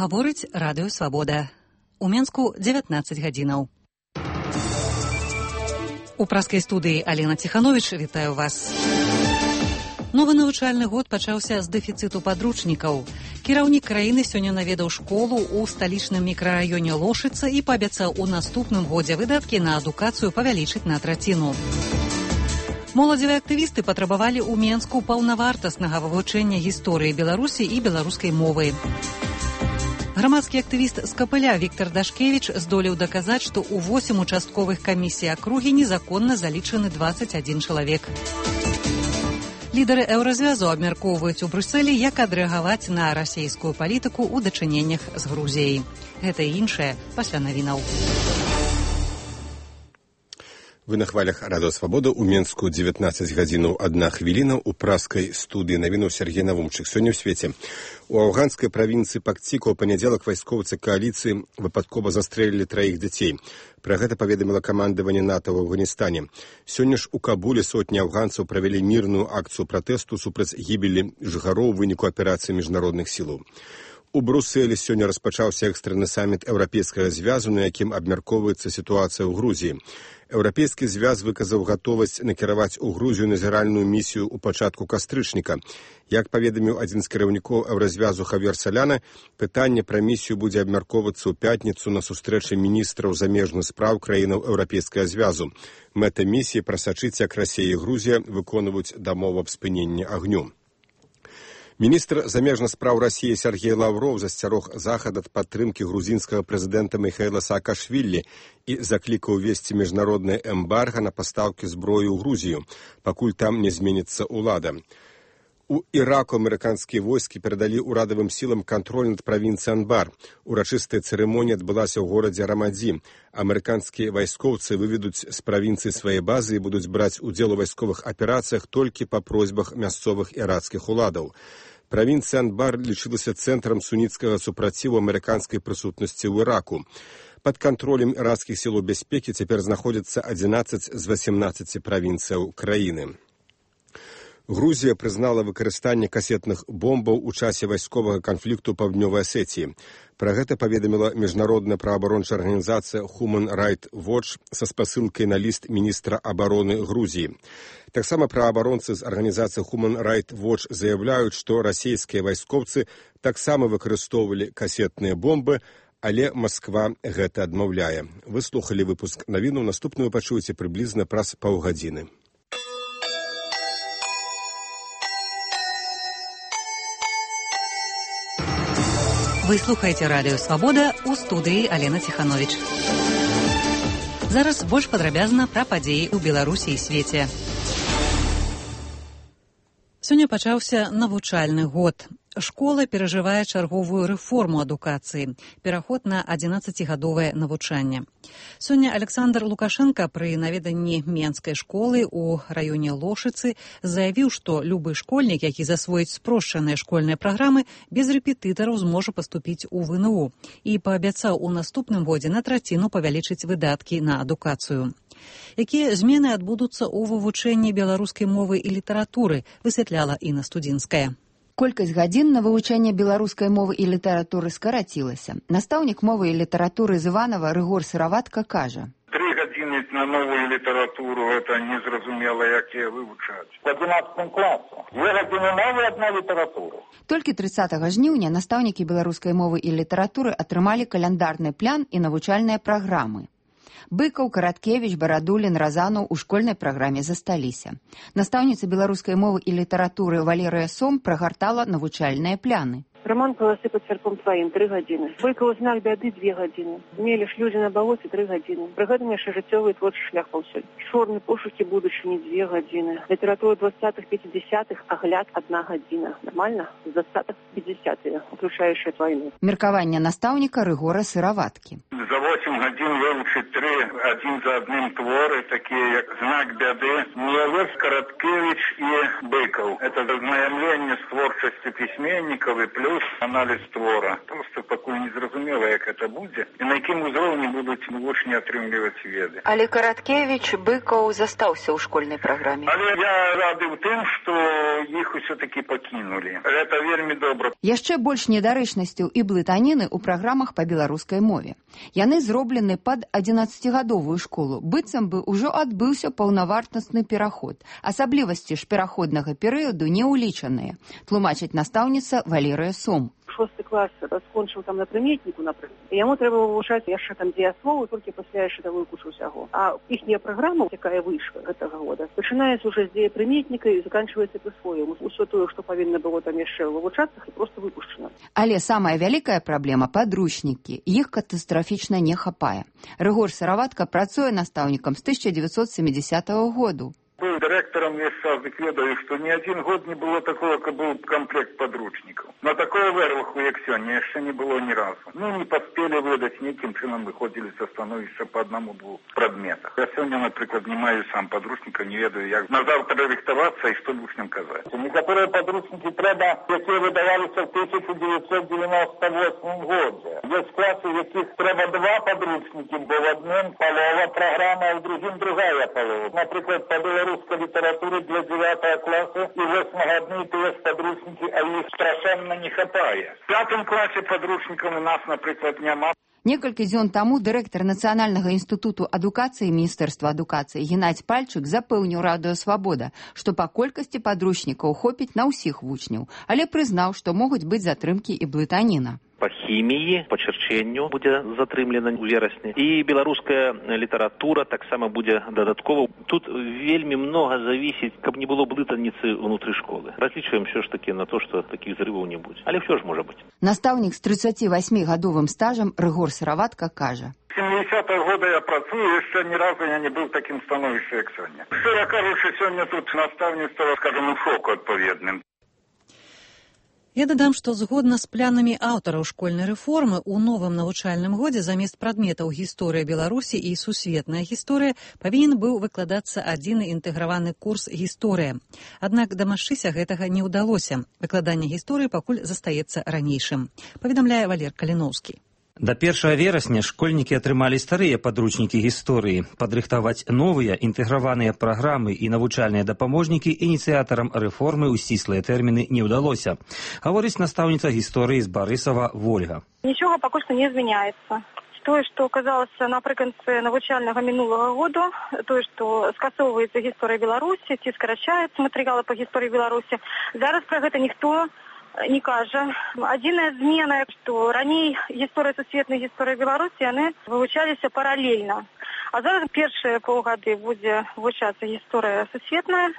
Гаворыць радыё «Свабода». У Менску 19 гадзінаў. У праскай студыі Алена Ціхановіч вітаю вас. Новы навучальны год пачаўся з дэфіцыту падручнікаў. Кіраўнік краіны сёння наведаў школу ў сталічным мікрараёне Лошыца і паабяцаў у наступным годзе выдаткі на адукацыю павялічыць на траціну. Моладзевыя актывісты патрабавалі ў Менску паўнавартаснага вывучэння гісторыі Беларусі і беларускай мовы. Грамадскі актывіст з Капыля Віктор Дашкевіч здолеў даказаць, што ў 8 участковых камісій акругі незаконна залічаны 21 чалавек. Лідары еўразвязу абмяркоўваюць у Брюсселі, як адрэагаваць на расійскую палітыку ў дачыненнях з Грузіяй. Гэта і іншае пасля навінаў. Вы на хвалях радыё «Свабода». У Менску 19 гадзінаў 1 хвіліна. У праскай студыі навінаў Сергей Навумчык. Сёння ў свеце. У афганскай правінцыі Пактика ў панядзелак вайскоўцы кааліцыі выпадкова застрэлілі 3 дзяцей. Пра гэта паведаміла камандаванне НАТО ў Афганістане. Сёння ж у Кабуле сотні афганцаў правялі мірную акцыю пратэсту супраць гібелі жыхароў у выніку аперацыі міжнародных сілаў. У Брюсселі сёння распачаўся экстраны саміт Еўрапейскага звязу, на якім абмяркоўваецца сітуацыя ў Грузіі. Еўрапейскі звяз выказаў гатовасць накіраваць у Грузію назіральную місію ў пачатку кастрычніка. Як паведаміў адзін з кіраўнікоў Еўразвязу Хавьер Соляна, пытанне пра місію будзе абмяркоўвацца ў пятніцу на сустрэчы міністраў замежных спраў краінаў Еўрапейскага звязу. Мэта місіі прасачыць, як Расія і Грузія выконваюць дамову аб спыненні агню. Міністр замежных спраў Расіі Сергей Лавров засцярог Захад ад падтрымкі грузінскага прэзідэнта Міхаіла Саакашвілі і заклікаў увесці міжнароднае эмбарга на пастаўкі зброі ў Грузію, пакуль там не зменіцца ўлада. У Іраку амерыканскія войскі перадалі ўрадавым сілам кантроль над правінцыяй Анбар. Урачыстая цырымонія адбылася ў горадзе Рамадзі. Амерыканскія вайскоўцы выведуць з правінцыі свае базы і будуць браць удзел у вайсковых аперацыях толькі па просьбах мясцовых ірацкіх уладаў. Правінцыя Анбар лічылася цэнтрам суніцкага супраціву амерыканскай прысутнасці ў Іраку. Пад кантролем ірацкіх сілаў бяспекі цяпер знаходзяцца 11 з 18 правінцыяў краіны. Грузія прызнала выкарыстанне касетных бомбаў у часе вайсковага канфлікту паўднёвай Асетіі. Пра гэта паведаміла міжнародная праваабарончая арганізацыя Human Rights Watch са спасылкай на ліст міністра абароны Грузіі. Таксама праваабаронцы з арганізацыі Human Rights Watch заяўляюць, што расійскія вайскоўцы таксама выкарыстоўвалі касетныя бомбы, але Масква гэта адмаўляе. Вы слухалі выпуск навінаў, наступную пачуеце прыблізна праз паўгадзіны. Вы слухаеце радыё «Свабода», у студыі Алена Ціхановіч. Зараз больш падрабязна пра падзеі ў Беларусі і свеце. Сёння пачаўся навучальны год. Школа перажывае чарговую рэформу адукацыі, пераход на 11гадовае навучанне. Сёння Александр Лукашенко пры наведанні менскай школы ў раёне Лошыцы заявіў, што любы школьнік, які засвоіць спрошчаныя школьныя праграмы, без рэпетытараў зможа паступіць у ВНУ і паабяцаў у наступным годзе на траціну павялічыць выдаткі на адукацыю. Якія змены адбудуцца ў вывучэнні беларускай мовы і літаратуры, высвятляла Інна Студзінская. Колькасць гадзін на вывучэнне беларускай мовы і літаратуры скарацілася. Настаўнік мовы і літаратуры з Іванова Рыгор Сыраватка кажа: 3 гадзіны на новую літаратуру, гэта незразумела, як яе вывучаць. В 11 класе 2 гадзіны мовы, 1 літаратура. Толькі 30 жніўня настаўнікі беларускай мовы і літаратуры атрымалі каляндарны план і навучальныя праграмы. Быкаў, Караткевіч, Барадулін, Разанаў у школьнай праграме засталіся. Настаўніца беларускай мовы і літаратуры Валерыя Сом прагартала навучальныя пляны. Роман «Полосы под серпом твоим» 3 гадзіны. Быкаў «Знак бяды» 2 гадзіны. Меліш «Людзі на балоце» 3 гадзіны. Прыгадам яшчэ жыццёвы творчы шлях паўсюль. Чорны пошукі будучыні 2 гадзіны. Літаратура 20-х-50-х агляд 1 гадзіна. Нормально? З 20-х-50-х, уключаючая вайну. Меркаванне настаўніка Рыгора Сыраваткі. За 8 гадзін вывучыць 3 адзін за адным творы, такія як «Знак бяды», Мелеш, Караткевіч і Быкаў. Это знайомленне з творчасцю пісьменнікаў і плюс беларус аналіз твора. Просто пакуль не зразумела, як гэта будзе і на якім узроўні будуць вучні атрымліваць веды. Але Караткевіч, Быкаў застаўся ў школьнай праграме. Але я рады ў тым, што іх усё-такі пакінулі. Гэта вельмі добра. Яшчэ больш недарэчнасцяў і блытаніны ў праграмах па беларускай мове. Яны зроблены пад 11гадовую школу. Быццам бы ўжо адбыўся паўнавартасны пераход. Асаблівасці ж пераходнага перыяду не ўлічаныя, тлумачыць настаўніца Валерыя Сом. 6 клас скончыў там на прыметніку, напрыклад. Яму трэба вывучаць яшчэ там дзеясловы, толькі пасля яшчэ давую кучу ўсяго. А іхняя праграма, якая выйшла гэтага года, пачынаецца ўжо з дзеепрыметніка і заканчваецца прысвоем. Усё тое, што павінна было там яшчэ вывучацца, і проста выпушчана. Але самая вялікая праблема – падручнікі. Іх катастрафічна не хапае. Рыгор Сыраватка працуе настаўнікам з 1970 году. Быў дырэктарам весь час, дык ведаю, што ні адзін год не было такого, каб быў камплект падручнікаў. На такое вырваху, як сёння, яшчэ не было ні разу. Не паспелі выдаць, нейкім чынам выходзілі са становішча па аднаму-двух прадметах. Я сёння, напрыклад, не маю сам падручніка, не ведаю, як назаўтра рыхтавацца і што вучням казаць. Некаторыя падручнікі трэба, якія выдаваліся ў 1998 годзе. Ёсць класы, у якіх трэба 2 падручнікі, бо в адным палова праграма, а ў другім другая палова. Напрыклад, па беларускай літаратуры для 9 класа і 8 адны і тыя ж падручнікі, а іх страшэнна не хапае. В 5 класе падручнікаў у нас, напрыклад, няма. Некалькі дзён таму дырэктар Нацыянальнага інстытуту адукацыі Міністэрства адукацыі Геннадзь Пальчык запэўніў Радыё Свабода, што па колькасці падручнікаў хопіць на ўсіх вучняў, але прызнаў, што могуць быць затрымкі і блытаніна. Па хіміі, па чырчэнню будзе затрымлена ў верасні. І беларуская літаратура таксама будзе дадаткова. Тут вельмі многа завісіць, каб не было блытаніцы ўнутры школы. Разлічваем ўсё ж такі на то, што такіх зрываў не будзе. Але ўсё ж можа быць. Настаўнік з 38гадовым стажам Рыгор Сыраватка кажа. 70-го года я працую, яшчэ ні разу я не быў в такім становішчы, як сёння. Шчыра кажучы, сёння тут настаўніцтва, скажем, у шоку адпаведным. Я дадам, што згодна з планамі аўтараў школьнай рэформы у новым навучальным годзе замест прадметаў гісторыя Беларусі і сусветная гісторыя павінен быў выкладацца адзіны інтэграваны курс гісторыя. Аднак дамагчыся гэтага не ўдалося. Выкладанне гісторыі пакуль застаецца ранейшым, паведамляе Валер Каліноўскі. Да 1 верасня школьнікі атрымалі старыя падручнікі гісторыі. Падрыхтаваць новыя інтэграваныя праграмы і навучальныя дапаможнікі ініцыятарам рэформы ў сціслыя тэрміны не ўдалося. Гаворыць настаўніца гісторыі з Барысава Вольга. Нічога пакуль што не змяняецца. Тое, што казалася напрыканцы навучальнага мінулага года, тое, што скасоўваецца гісторыя Беларусі, ці скарачаюцца матэрыялы па гісторыі Беларусі, зараз пра гэта ніхто не кажа. Адзіная змена, што раней гісторыя сусветнай гісторыі Беларусі, яны вывучаліся паралельна. А зараз першыя паўгады будзе вывучацца гісторыя сусветная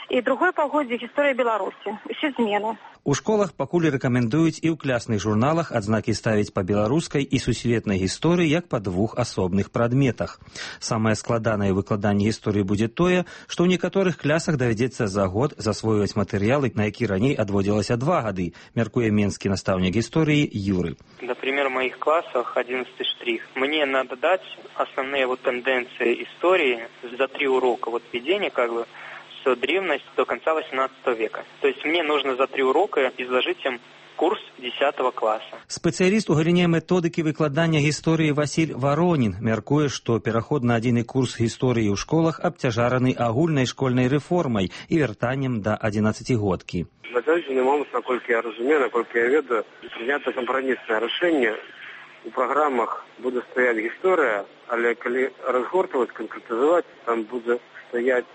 і другое паўгоддзе гісторыя Беларусі. Усе змены. У школах пакуль рэкамендуюць і ў клясных журналах адзнакі ставіць па беларускай і сусветнай гісторыі як па 2 асобных прадметах. Самае складанае выкладанне гісторыі будзе тое, што ў некаторых клясах давядзецца за год засвойваць матэрыялы, на які раней адводзілася 2 гады, мяркуе менскі настаўнік гісторыі Юры. Например, в моих классах 11 штрих. Мне надо дать основные тенденции истории за 3 урока введения, с древности до конца 18 века. То есть мне нужно за 3 урока изложить им курс 10 класса. Спецыяліст у галіне методыкі выкладання гісторыі Васіль Варонін мяркуе, што пераход на адзіны курс гісторыі ў школах абцяжараны агульнай школьнай рэформай і вяртаннем да 11-годкі. На сённяшні момент, наколькі я разумею, наколькі я ведаю, прынята кампраміснае рашэнне. У праграмах будзе стаяць гісторыя, але калі разгортаваць, канкрэтызаваць, там будзе стаяць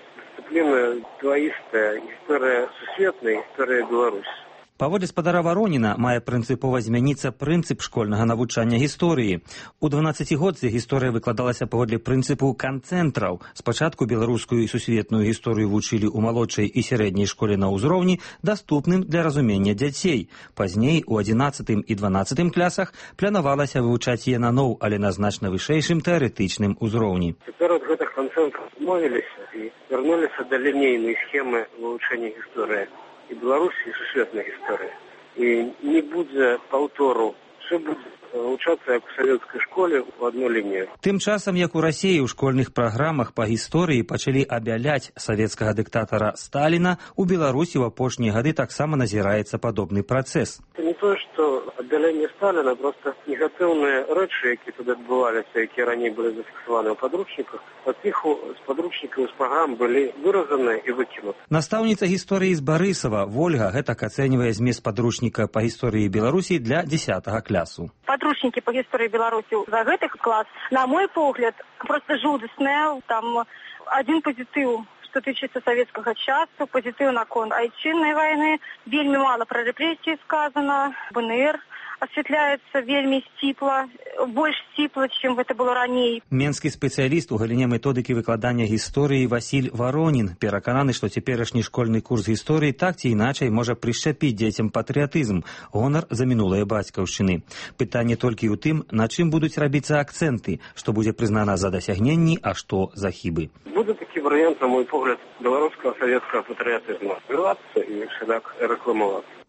дысциплина двоистая, гісторыя сусветная, гісторыя Беларусі. Паводле спадара Вароніна мае прынцыпова змяніцца прынцып школьнага навучання гісторыі. У 12-годцы гісторыя выкладалася паводле прынцыпу канцэнтраў. Спачатку беларускую і сусветную гісторыю вучылі ў малодшай і сярэдняй школе на ўзроўні, даступным для разумення дзяцей. Пазней у 11 і 12 класах планавалася вывучаць яе наноў, але на значна вышэйшым тэарэтычным узроўні. Цяпер ад гэтых канцэнтраў адмовіліся і вярнуліся да лінейнай схемы вывучэння гісторыі і Беларусі, і сусветнай гісторыі. І не будзе паўтору, все будзе вывучацца як у савецкай школе ў адну лінію. Тым часам, як у Расіі ў школьных праграмах па гісторыі пачалі абяляць савецкага дыктатара Сталіна, у Беларусі ў апошнія гады таксама назіраецца падобны працэс. Не не тое, што аддаленне Сталіна, проста негатыўныя рэчы, якія тут адбываліся, якія раней былі зафіксаваны ў падручніках, ад іх з падручнікаў, з праграм былі выразаны і выкінуты. Настаўніца гісторыі з Барысава Вольга гэтак ацэньвае змест падручніка па гісторыі Беларусі для 10 класу. Падручнікі па гісторыі Беларусі за гэты клас, на мой погляд, просто жудасныя. Там один пазітыў, што тычыцца савецкага часу, пазітыў наконт айчыннай вайны, вельмі мала пра рэпрэсіі сказана, БНР асвятляецца вельмі сціпла, больш сціпла, чым гэта было раней. Менскі спецыяліст у галіне методыкі выкладання гісторыі Васіль Варонін перакананы, што цяперашні школьны курс гісторыі так ці іначай можа прышчапіць дзецям патрыятызм, гонар за мінулыя бацькаўшчыны. Пытанне толькі ў тым, на чым будуць рабіцца акцэнты, што будзе прызнана за дасягненні, а што за хібы. Будзе такі варыянт, на мой погляд, беларускага савецкага патрыятызму збірацца і шляк рэкламавацца.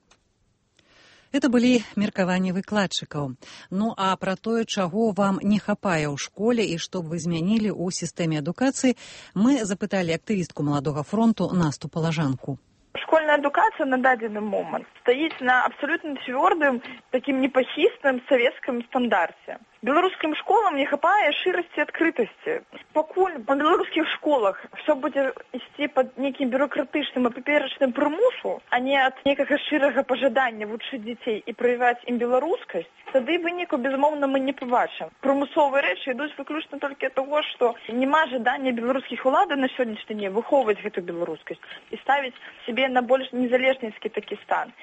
Это былі меркаванні выкладчыкаў. Ну а пра тое, чаго вам не хапае ў школе і што б вы змянілі ў сістэме адукацыі, мы запыталі актывістку Маладога фронту Насту Палажанку. Школьная адукацыя на дадзены момант стаіць на абсалютна цвёрдым, такім непахісным савецкім стандарце. Беларускім школам не хапае шырасці і адкрытасці. Пакуль па беларускіх школах все будзе ісці пад нейкім бюрократычным і паперачным прымусу, а не ад некага шырага пажадання вучыць дзяцей і праяваць ім беларускасць, тады выніку, безумоўна, мы не пабачым. Прымусовыя рэчы ідуць выключна толькі ад таго, што няма жадання беларускіх уладаў на сённяшні дзень выхоўваць гэту беларускасць і ставіць сябе на больш незалежніцкі такі стан.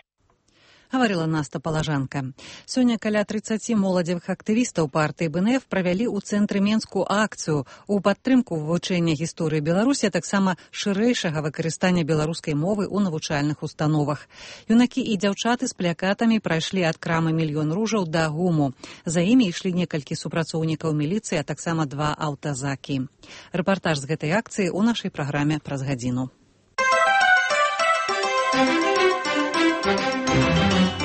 Гаварыла Наста Палажанка. Сёння каля 30 моладзевых актывістаў партыі БНФ правялі ў цэнтры Менску акцыю ў падтрымку вывучэння гісторыі Беларусі, а таксама шырэйшага выкарыстання беларускай мовы ў навучальных установах. Юнакі і дзяўчаты з плакатамі прайшлі ад крамы «Мільён ружаў» да ГУМу. За імі ішлі некалькі супрацоўнікаў міліцыі, а таксама 2 аўтазакі. Рэпартаж з гэтай акцыі ў нашай праграме праз гадзіну.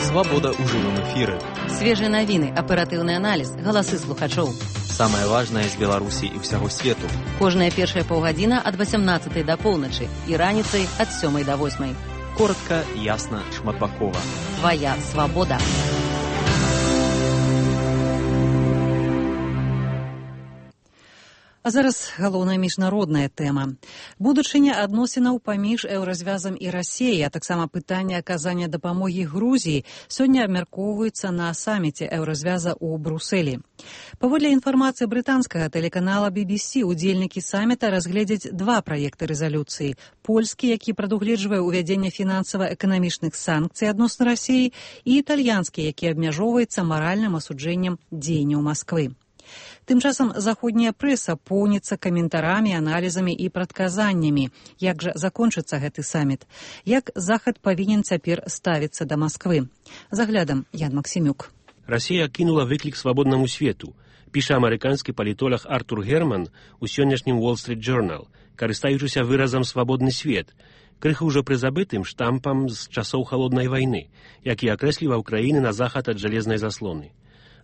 Свабода ў жывым эфіры. Свежыя навіны, аператыўны аналіз, галасы слухачоў. Самае важнае з Беларусі і ўсяго свету. Кожная першая паўгадзіна ад 18 да поўначы і раніцай ад 7 да 8. Коротка, ясна, шматбакова. Твая свабода. А зараз галоўная міжнародная тэма. Будучыня адносінаў паміж Еўразвязам і Расіяй, а таксама пытанне аказання дапамогі Грузіі сёння абмяркоўваецца на саміце Еўразвяза ў Брусэлі. Паводле інфармацыі брытанскага тэлеканала BBC, удзельнікі саміта разгледзяць 2 праекты рэзалюцыі. Польскі, які прадугледжвае ўвядзенне фінансава-эканамічных санкцый адносна Расіі, і італьянскі, які абмяжоўваецца маральным асуджэннем дзеянняў Масквы. Тым часам заходняя прэса поўніцца каментарамі, аналізамі і прадказаннямі. Як жа закончыцца гэты саміт? Як Захад павінен цяпер ставіцца да Масквы? За аглядам Ян Максімюк. Расія кінула выклік свабоднаму свету, піша амерыканскі палітолог Артур Герман у сённяшнім Wall Street Journal, карыстаючыся выразам «свабодны свет», крыху ўжо прызабытым штампам з часоў халоднай вайны, які акрэсліваў краіны на захад ад жалезнай заслоны.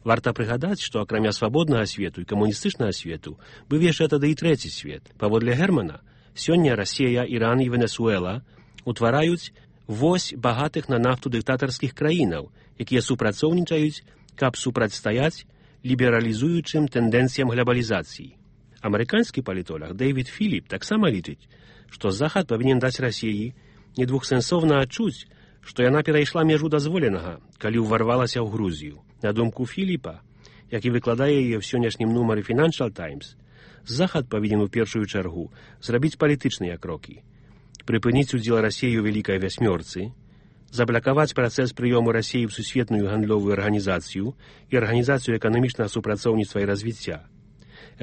Варта прыгадаць, што акрамя свабоднага свету і камуністычнага свету быў яшчэ тады і трэці свет. Паводле Германа, сёння Расія, Іран і Венесуэла утвараюць вось багатых на нафту дыктатарскіх краінаў, якія супрацоўнічаюць, каб супрацьстаяць лібералізуючым тэндэнцыям глобалізацыі. Амерыканскі палітолог Дэвід Філіп таксама лічыць, што Захад павінен даць Расіі недвухсэнсоўна адчуць, што яна перайшла межу дазволенага, калі ўварвалася ў Грузію. На думку Філіпа, які выкладае яе ў сённяшнім нумары Financial Times, Захад павінен у першую чаргу зрабіць палітычныя крокі, прыпыніць удзел Расіі ў Вялікай вясьмёрцы, заблакаваць працэс прыёму Расіі ў сусветную гандлёвую арганізацыю і арганізацыю эканамічнага супрацоўніцтва і развіцця.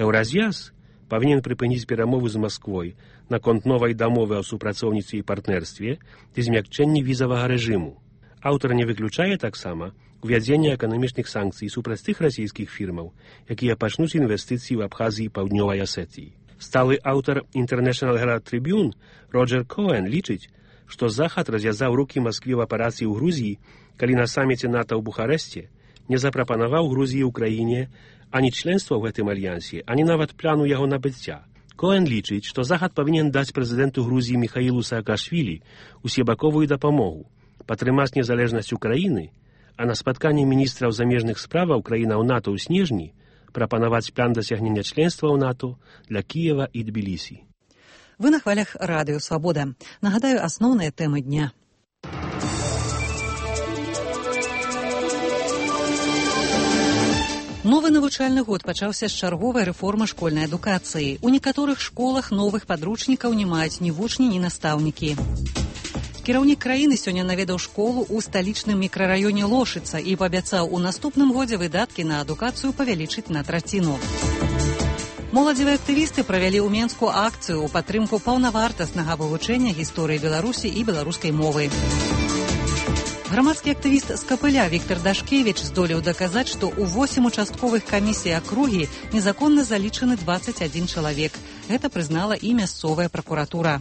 Еўразвяз павінен прыпыніць перамовы з Масквой наконт новай дамовы о супрацоўніцтве і партнерстве ці змякчэнні візавага рэжыму. Аўтар не выключае таксама увядзення эканамічных санкцый супраць тых расійскіх фірмаў, якія пачнуць інвестыцыі ў Абхазіі і Паўднёвай Асетыі. Сталы аўтар International Herald Tribune Роджер Коэн лічыць, што Захад развязаў рукі Маскве в аперацыі ў Грузіі, калі на саміце НАТО ў Бухарэсце не запрапанаваў Грузіі ў краіне ані членства ў гэтым альянсе, ані нават пляну яго набыцця. Коэн лічыць, што Захад павінен даць прэзідэнту Грузіі Міхаілу Саакашвілі усебаковую дапамогу, падтрымаць незалежнасць Украіны, А на спатканні міністраў замежных справаў краінаў НАТО ў снежні прапанаваць план дасягнення членства ў НАТО для Кіева і Тбілісі. Вы на хвалях радыё «Свабода». Нагадаю, асноўныя тэмы дня. Новы навучальны год пачаўся з чарговай рэформы школьнай адукацыі. У некаторых школах новых падручнікаў не маюць ні вучні, ні настаўнікі. Кіраўнік краіны сёння наведаў школу ў сталічным мікрараёне Лошыца і паабяцаў у наступным годзе выдаткі на адукацыю павялічыць на траціну. Моладзевыя актывісты правялі ў Менску акцыю ў падтрымку паўнавартаснага вывучэння гісторыі Беларусі і беларускай мовы. Грамадскі актывіст з Капыля Віктор Дашкевіч здолеў даказаць, што ў 8 участковых камісій акругі незаконна залічаны 21 чалавек. Гэта прызнала і мясцовая пракуратура.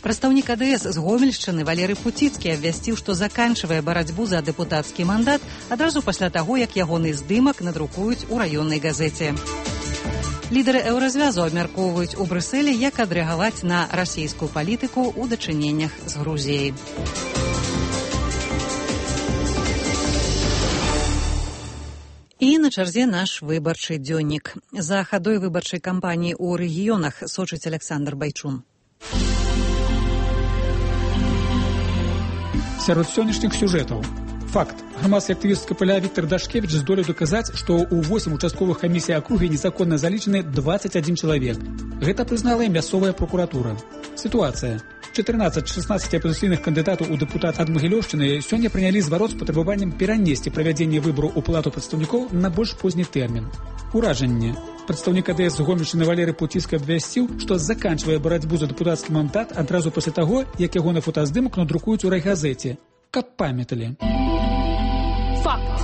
Прадстаўнік АДС з Гомельшчыны Валерый Пуціцкі абвясціў, што заканчвае барацьбу за дэпутацкі мандат адразу пасля таго, як ягоны здымак надрукуюць у раённай газеце. Лідары еўразвязу абмяркоўваюць у Брюсселі, як адрэагаваць на расійскую палітыку ў дачыненнях з Грузіяй. І на чарзе наш выбарчы дзённік. За хадой выбарчай кампаніі ў рэгіёнах сочыць Александр Байчун. Сярод сённяшніх сюжэтаў. Факт. Грамадскі актывіст з Капыля Віктор Дашкевіч здолеў даказаць, што ў 8 участковых камісій акругі незаконна залічаны 21 чалавек. Гэта прызнала і мясцовая пракуратура. Сітуацыя. 14 з 16 апазіцыйных кандыдатаў у дэпутат ад Магілёўшчыны сёння прынялі зварот з патрабаваннем перанесці правядзенне выбараў у палату прадстаўнікоў на больш позні тэрмін. Уражанне. Прадстаўнік АДС з Гомельшчыны Валерый Пуціцкі абвясціў, што заканчвае барацьбу за дэпутацкі мандат адразу пасля таго, як яго на фотаздымак надрукуюць у райгазеце. Каб памяталі. Факт.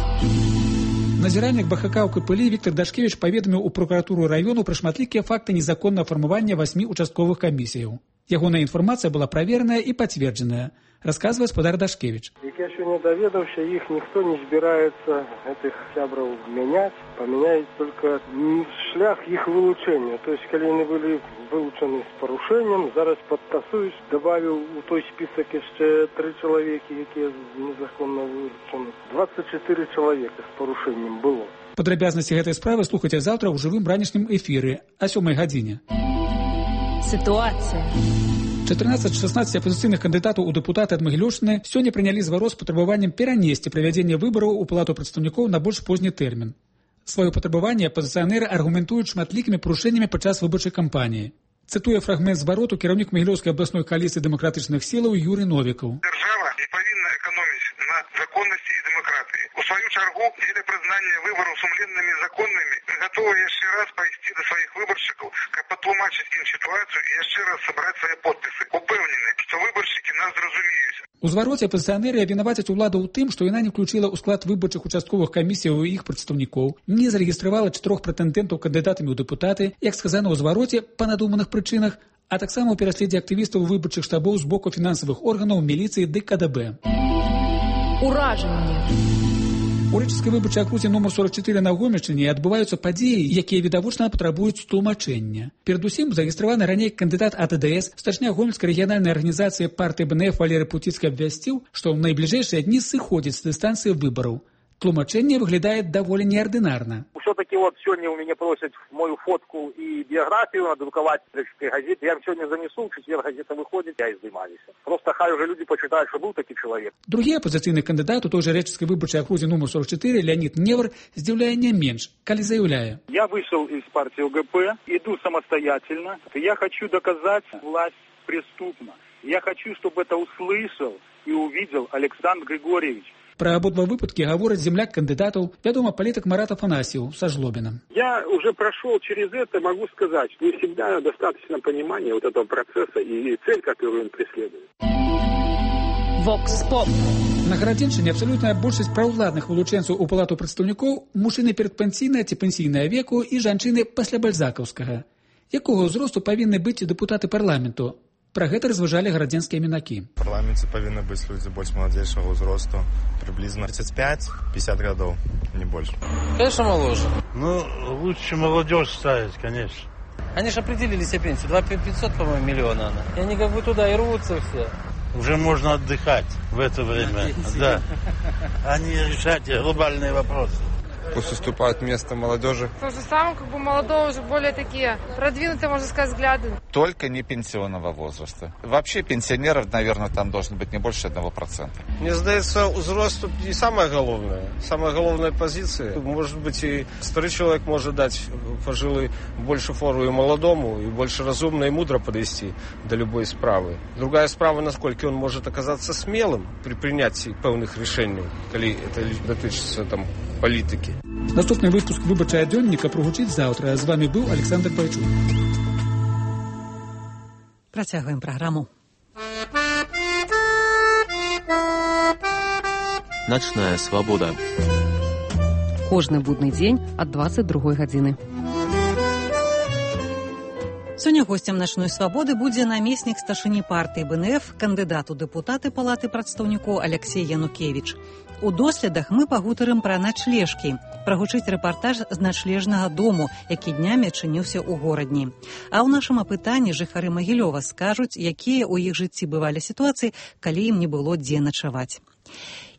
Назіральнік БХК ў Капылі Віктор Дашкевіч паведаміў у пракуратуру раёну пра шматлікія факты незаконнага фармавання 8 участковых камісіяў. Ягоная інфармацыя была правераная і пацверджаная, расказвае спадар Дашкевіч. Як я сёння даведаўся, іх ніхто не збіраецца гэтых сябраў мяняць, памяняюць толькі шлях іх вылучэння. То есть, калі яны былі вылучаны з парушэннем, зараз падтасуюць, дабавіў у той спісак яшчэ 3 чалавекі, якія незаконна вылучаны. 24 чалавека з парушэннем было. Падрабязнасці гэтай справы слухайце заўтра ў жывым ранішнім эфіры о 7 гадзіне. Ситуация. 14 з 16 апозіцыйных кандыдатаў у дэпутаты ад Магілёўшчыны сёння прынялі зварот з патрабаваннем перанесці правядзенне выбараў у палату прадстаўнікоў на больш позні тэрмін. Сваё патрабаванне апазіцыянеры аргументуюць шматлікімі парушэннямі падчас выбарчай кампаніі. Цытуе фрагмент звароту кіраўнік Магілёўскай абласной кааліцыі дэмакратычных сілаў Юрый Новікаў. Дзяржава не павінна эканоміць на законнасці і дэмакратыі. У сваю чаргу, дзеля прызнання выбараў сумленнымі законнымі, мы гатовы яшчэ раз пайсці да сваіх выбаршчыкаў, каб патлумачыць ім сітуацыю і яшчэ раз сабраць свае подпісы. Упэўнены, што выбаршчыкі нас зразумеюць. У звароце апазіцыянеры абвінавацяць уладу ў тым, што яна не включыла ў склад выбарчых участковых камісіяў і іх прадстаўнікоў, не зарэгістравала 4 прэтэндэнтаў кандыдатамі ў дэпутаты, як сказана ў звароце, па надуманых прычынах, а таксама ў пераследзе актывістаў выбарчых штабоў з боку фінансавых органаў, міліцыі ды КДБ. Уражанне. У рэчыцкай выбарчай акрузе нумар 44 на Гомельшчыне адбываюцца падзеі, якія відавочна патрабуюць тлумачэння. Перадусім, зарэгістраваны раней кандыдат ад АДС, старшыня Гомельскай рэгіянальнай арганізацыі партыі БНФ Валерый Пуціцкі абвясціў, што ў найбліжэйшыя дні сыходзіць з дыстанцыі выбараў. Тлумачэнне выглядае даволі неардынарна. Все-таки вот сегодня у меня просят мою фотку и биографию надрукаваць в рэчыцкай газеце. Я сегодня занесу, в четверг газета выходит, я и здымаюсь. Просто хай уже люди почитают, что был такой человек. Другі апозіцыйны кандыдат у той жа рэчыцкай выбарчай акрузе нумар 44 Леонид Невар здзіўляе не менш, калі заяўляе. Я вышел из партии ОГП, иду самостоятельно. Я хочу доказать, власть преступна. Я хочу, чтобы это услышал и увидел Александр Григорьевич. Пра абодва выпадкі гаворыць земляк кандыдатаў, вядома, палітык Марат Афанасьев са Жлобіна. Я уже прошел через это, могу сказать, что не всегда достаточно понимания вот этого процесса и цель, которую он преследует. Вокс-поп. На Гарадзеншчыне абсалютная большасць праўладных вылучэнцаў у палату прадстаўнікоў мужчыны перадпенсійнага ці пенсійнага веку і жанчыны пасля бальзакаўскага. Якога ўзросту павінны быць депутаты парламенту? Пра гэта разважалі гарадзенскія мінакі. В парламенце павінны быць людзі больш маладзейшага ўзросту, приблизно 35-50 годов, не больше. Конечно, моложе. Ну, лучше молодежь ставить, конечно. Они же определили себе пенсию, 2500, по-моему, миллиона она. И они как бы туда и рвутся все. Уже можно отдыхать в это время. Да. А не решать глобальные вопросы. Пусть уступают место молодежи. То же самое, как бы молодого уже более такие продвинутые, можно сказать, взгляды. Только не пенсионного возраста. Вообще пенсионеров, наверное, там должно быть не больше 1%. Мне здається, узрост не самое головное. Самая головная позиция. Может быть, и старый человек может дать пожилый больше фору и молодому, и больше разумно и мудро подвести до любой справы. Другая справа, насколько он может оказаться смелым при принятии певных решений, коли это дотычется там політики. Наступний випуск «Виборчого денника» прогучить завтра. З вами був Олександр Байчук. Працягваем праграму. Ночная свабода. Кожны будны дзень ад 22 гадзіны. Сёння госцем начной свабоды будзе намеснік старшыні партыі БНФ, кандыдат у дэпутаты палаты прадстаўнікоў Алексей Янукевич. У доследах мы пагутарым пра начлежкі, прагучыць рэпартаж з начлежнага дому, які днямі адчыніўся ў горадні. А ў нашым апытанні жыхары Магілёва скажуць, якія ў іх жыцці бывалі сітуацыі, калі ім не было дзе начаваць.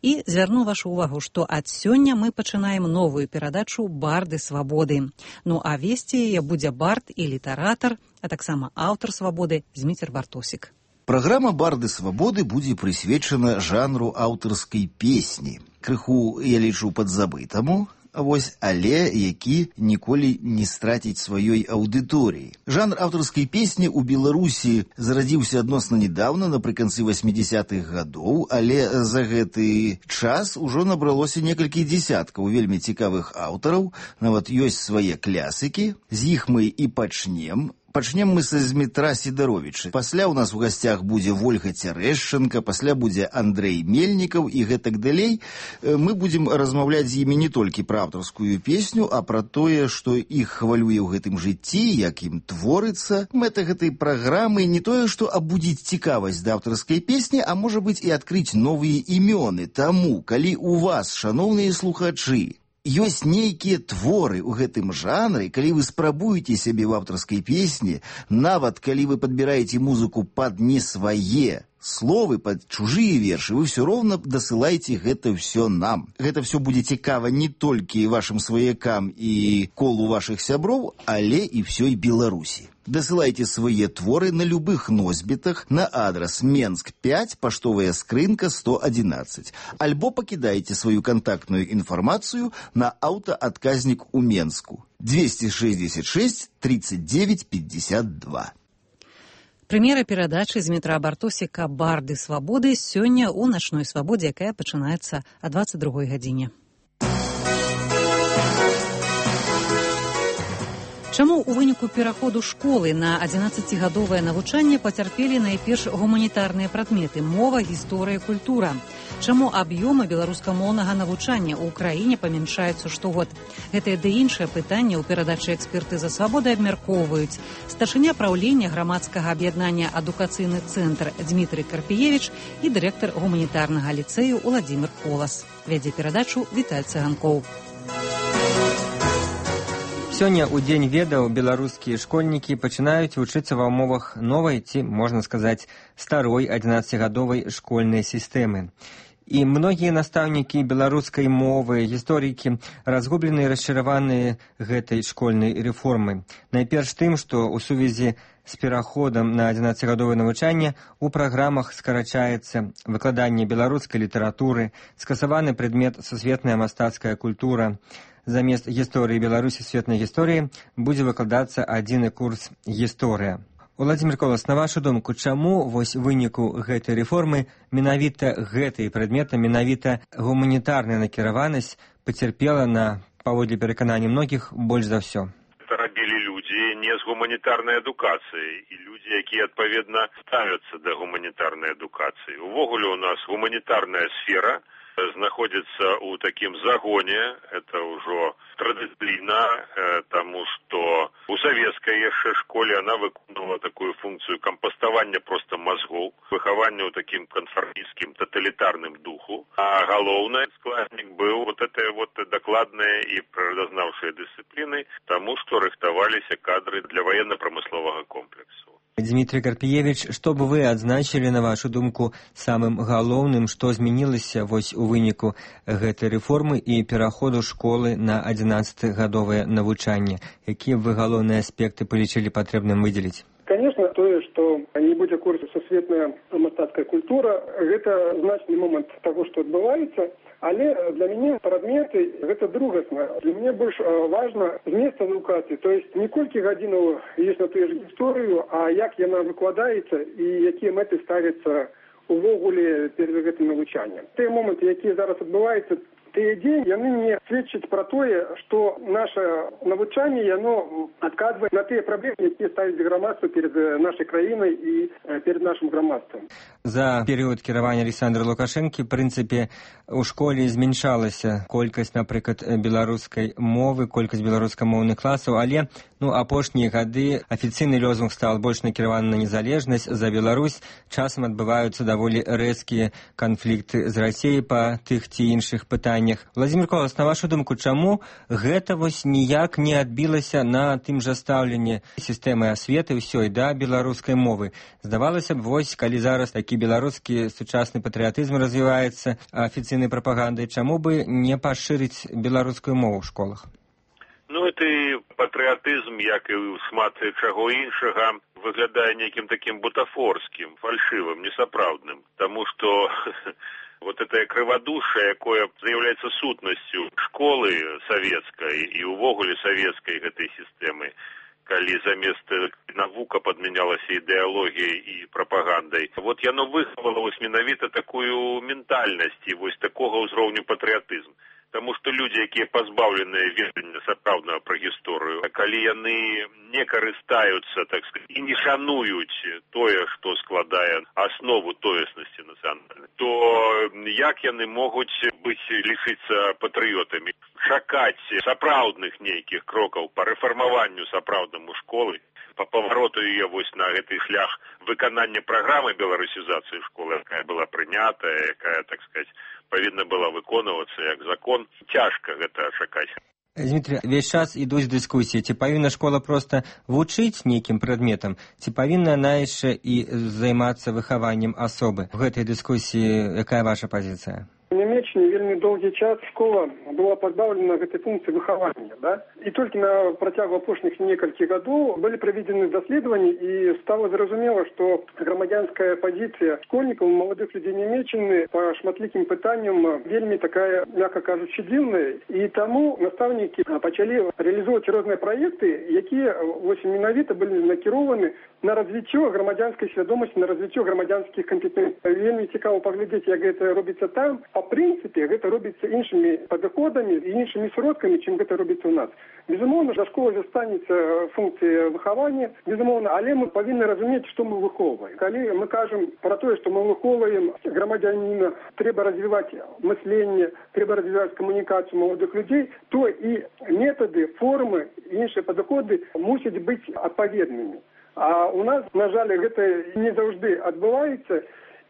І звярну вашу увагу, што ад сёння мы пачынаем новую перадачу «Барды свабоды». Ну а весці яе будзе бард і літаратар, а таксама аўтар свабоды Зміцер Бартосік. Праграма «Барды свабоды» будзе прысвечана жанру аўтарскай песні. Крыху, я лічу, падзабытаму, але які ніколі не страціць сваёй аўдыторыі. Жанр аўтарскай песні ў Беларусі зарадзіўся адносна недаўна, напрыканцы 80-х гадоў, але за гэты час ужо набралося некалькі дзесяткаў вельмі цікавых аўтараў, нават ёсць свае клясыкі, з іх мы і пачнем. Пачнем мы са Змітра Сідаровіча. Пасля ў нас у гасцях будзе Вольга Цярэшчанка, пасля будзе Андрэй Мельнікаў і гэтак далей. Мы будзем размаўляць з імі не толькі пра аўтарскую песню, а пра тое, што іх хвалюе ў гэтым жыцці, як ім творыцца. Мэта гэтай праграмы не тое, што абудзіць цікавасць да аўтарскай песні, а можа быць і адкрыць новыя імёны. Таму, калі у вас, шаноўныя слухачы, ёсць нейкія творы ў гэтым жанры, калі вы спрабуеце сябе ў аўтарскай песні, нават калі вы падбіраеце музыку пад не свае словы, пад чужыя вершы, вы ўсё роўна дасылайце гэта ўсё нам. Гэта ўсё будзе цікава не толькі вашым сваякам і колу вашых сяброў, але і ўсёй Беларусі. Дасылайце свае творы на любых носьбітах на адрас Менск 5, паштовая скрынка 111. Альбо пакідайце сваю кантактную інфармацыю на аўтаадказнік у Менску 266 39 52. Прэм'ера перадачы Змітра Бартосіка «Барды свабоды» сёння ў начной свабодзе, якая пачынаецца о 22 гадзіне. Чаму ў выніку пераходу школы на 11-гадовае навучанне пацярпелі найперш гуманітарныя прадметы – мова, гісторыя, культура? Чаму аб'ёмы беларускамоўнага навучання ў краіне памяншаюцца штогод? Гэтае ды іншае пытанне ў перадачы «Экспертыза свабоды» абмяркоўваюць старшыня праўлення грамадскага аб'яднання «Адукацыйны цэнтр» Дмітрый Карпіевіч і дырэктар гуманітарнага ліцэю Уладзімір Колас. Вядзе перадачу Віталь Цыганкоў. Сёння ў Дзень ведаў беларускія школьнікі пачынаюць вучыцца ва ўмовах новай ці, можна сказаць, старой 11-гадовай школьнай сістэмы. І многія настаўнікі беларускай мовы, гісторыкі разгублены і расчараваныя гэтай школьнай рэформай. Найперш тым, што ў сувязі з пераходам на 11-гадовае навучанне у праграмах скарачаецца выкладанне беларускай літаратуры, скасаваны прадмет сусветная мастацкая культура. Замест гісторыі Беларусі светнай гісторыі будзе выкладацца адзіны курс гісторыя. Уладзімір Колас, на вашу думку, чаму вось выніку гэтай рэформы менавіта гэтыя прадметы, менавіта гуманітарная накіраванасць пацярпела на, паводле пераканання многіх, больш за ўсё? Это рабілі людзі не з гуманітарнай адукацыяй і людзі, якія адпаведна ставяцца да гуманітарнай адукацыі. Увогуле у нас гуманітарная сфера знаходится у таким загоне, это уже традиционно, тому что у советской еще школе она выполняла такую функцию компостования просто мозгов, выхования у таким конформистским, тоталитарным духу. А головный складник был вот этой вот докладной и природознавшей дисциплины тому, что рыхтовались кадры для военно-промыслового комплексу. Дмітрий Карпіевич, што б вы адзначылі, на вашу думку, самым галоўным, што змянілася вось у выніку гэтай рэформы і пераходу школы на 11-гадовае навучанне? Якія б вы галоўныя аспекты палічылі патрэбным выдзеліць? Конечно, тое, што не будзе курсу сусветная мастацкая культура, гэта значны момант таго, што адбываецца, але для мяне прадметы гэта другасна. Для мяне больш важна змест адукацыі, то есть не колькі гадзінаў ёсць на тую ж гісторыю, а як яна выкладаецца і якія мэты ставяцца увогуле перад гэтым навучаннем. Тыя моманты, якія зараз адбываюцца, тыя дзеі, яны не сведчаць пра тое, што наша навучанне, яно адказвае на тыя праблемы, якія ставіць грамадства перад нашай краінай і перад нашым грамадствам. За перыяд кіравання Александра Лукашэнкі, в прынцыпе, у школе змяншалася колькасць, напрыклад, беларускай мовы, колькасць беларускамоўных класаў, але апошнія гады афіцыйны лозунг стаў больш накіраваны на незалежнасць за Беларусь. Часам адбываюцца даволі рэзкія канфлікты з Расіяй па тых ці іншых пытаннях. Владзімір Колас, на вашу думку, чаму гэта вось ніяк не адбілася на тым жа стаўленні сістэмы асветы ўсёй да беларускай мовы? Здавалася б, вось калі зараз такі беларускі сучасны патрыятызм развіваецца афіцыйнай прапагандай, чаму бы не пашырыць беларускую мову ў школах? Гэты патрыятызм, як і шмат чаго іншага, выглядае нейкім такім бутафорскім, фальшывым, несапраўдным, таму што вот это крывадушие, якое з'яўляецца сутнасцю школы савецкай і ўвогуле савецкай гэтай сістэмы, калі замест навука падмянялася ідэалогіяй і прапагандай. Вот яно выхавала вось менавіта такую ментальнасць і вось такога ўзроўню патрыятызм. Таму што людзі, якія пазбаўленыя ведання сапраўднага пра гісторыю, калі яны не карыстаюцца, так сказать, і не шануюць тое, што складае аснову тоеснасці нацыянальнай, то як яны могуць лічыцца патрыётамі? Чакаць сапраўдных нейкіх крокаў па рэфармаванню сапраўднаму школы, па павароту яе вось на гэты шлях выканання праграмы беларусізацыі школы, якая была прынятая, якая, так сказать, павінна была выконвацца як закон, цяжка гэта чакаць. Дмітрий, весь час ідуць дыскусіі, ці павінна школа проста вучыць нейкім прадметам, ці павінна яна яшчэ і займацца выхаваннем асобы? У гэтай дыскусіі якая ваша пазіцыя? У Нямеччине вельмі доўгі час школа была пазбаўлена гэтай функцыі выхавання, да? І толькі на працягу апошніх некалькі гадоў былі праведзены даследаванні, і стала зразумела, што грамадзянская пазіцыя школьнікаў, маладых людзей Нямеччины па шматлікім пытанням вельмі такая, мякка кажучы, дзіўная. І таму настаўнікі пачалі рэалізоўваць розныя праекты, якія вось менавіта былі накірованы на развіццё грамадзянскай свядомасці, на развіццё грамадзянскіх кампетэнцый. Вельмі цікава паглядзець, як гэта робіцца там. Па прынцыпе, гэта робіцца іншымі падыходамі і іншымі сродкамі, чым гэта робіцца ў нас. Безумоўна, за школай застанецца функцыя выхавання, безумоўна, але мы павінны разумець, што мы выхоўваем. Калі мы кажам пра тое, што мы выхоўваем грамадзяніна, трэба развіваць мысленне, трэба развіваць камунікацыю маладых людзей, то і метады, формы, іншыя падыходы мусяць быць адпаведнымі. А у нас, на жаль, гэта не заўжды адбываецца.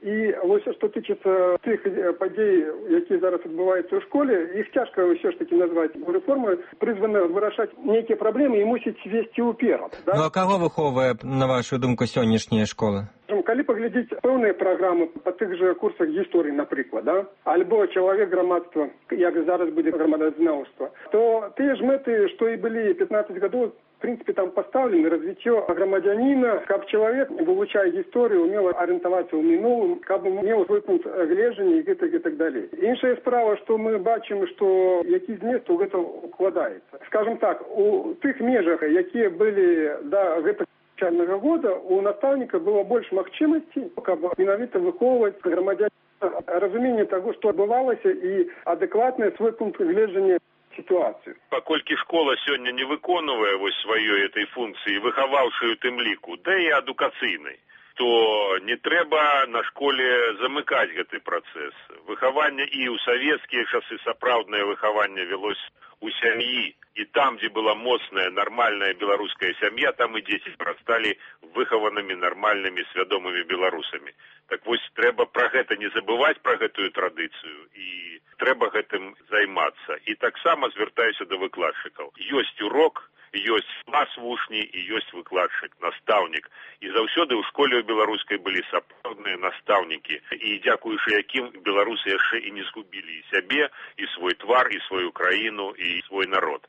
І вось што тычыцца тых падзей, якія зараз адбываюцца ў школе, іх цяжка ўсё ж такі назваць рэформы, прызваны вырашаць нейкія праблемы і мусіць весці ўперад. Да? Ну а каго выхоўвае, на вашу думку, сённяшняя школа? Калі паглядзець пэўныя праграмы па тых жа курсах гісторыі, напрыклад, да? Альбо чалавек грамадства, як зараз будзе грамадазнаўства, то тыя ж мэты, што і былі 15 гадоў, в принципе, там поставлены развіццё грамадзяніна, каб чалавек, вывучае гісторыю, умела арыентавацца ў мінулым, каб меў свой пункт гледжання і так далей. Іншая справа, што мы бачым, што які змест у гэта укладаецца. Скажем так, у тых межах, якія былі да гэтага навучальнага года, у настаўніка было больш магчымасцей, каб менавіта выхоўваць грамадзяніна, разуменне таго, што адбывалася, і адэкватны свой пункт гледжання ситуацию. Паколькі школа сёння не выконвае вось сваёй этой функцыі, выхаваўшы у тым ліку, да і адукацыйнай, то не трэба на школе замыкаць гэты працэс. Выхаванне і ў савецкія часы сапраўднае выхаванне велось у сям'і. І там, дзе была моцная, нармальная беларуская сям'я, там і дзеці прасталі выхаванымі нармальнымі свядомымі беларусамі. Так вось трэба пра гэта не забываць, пра гэтую традыцыю, і трэба гэтым займацца. І таксама звяртаюся да выкладчыкаў. Ёсць урок, ёсць клас вучні і ёсць выкладчык, настаўнік. І заўсёды ў школе ў беларускай былі сапраўдныя настаўнікі, і дзякуючы якім беларусы яшчэ і не згубілі і сябе, і свой твар, і сваю краіну, і свой народ.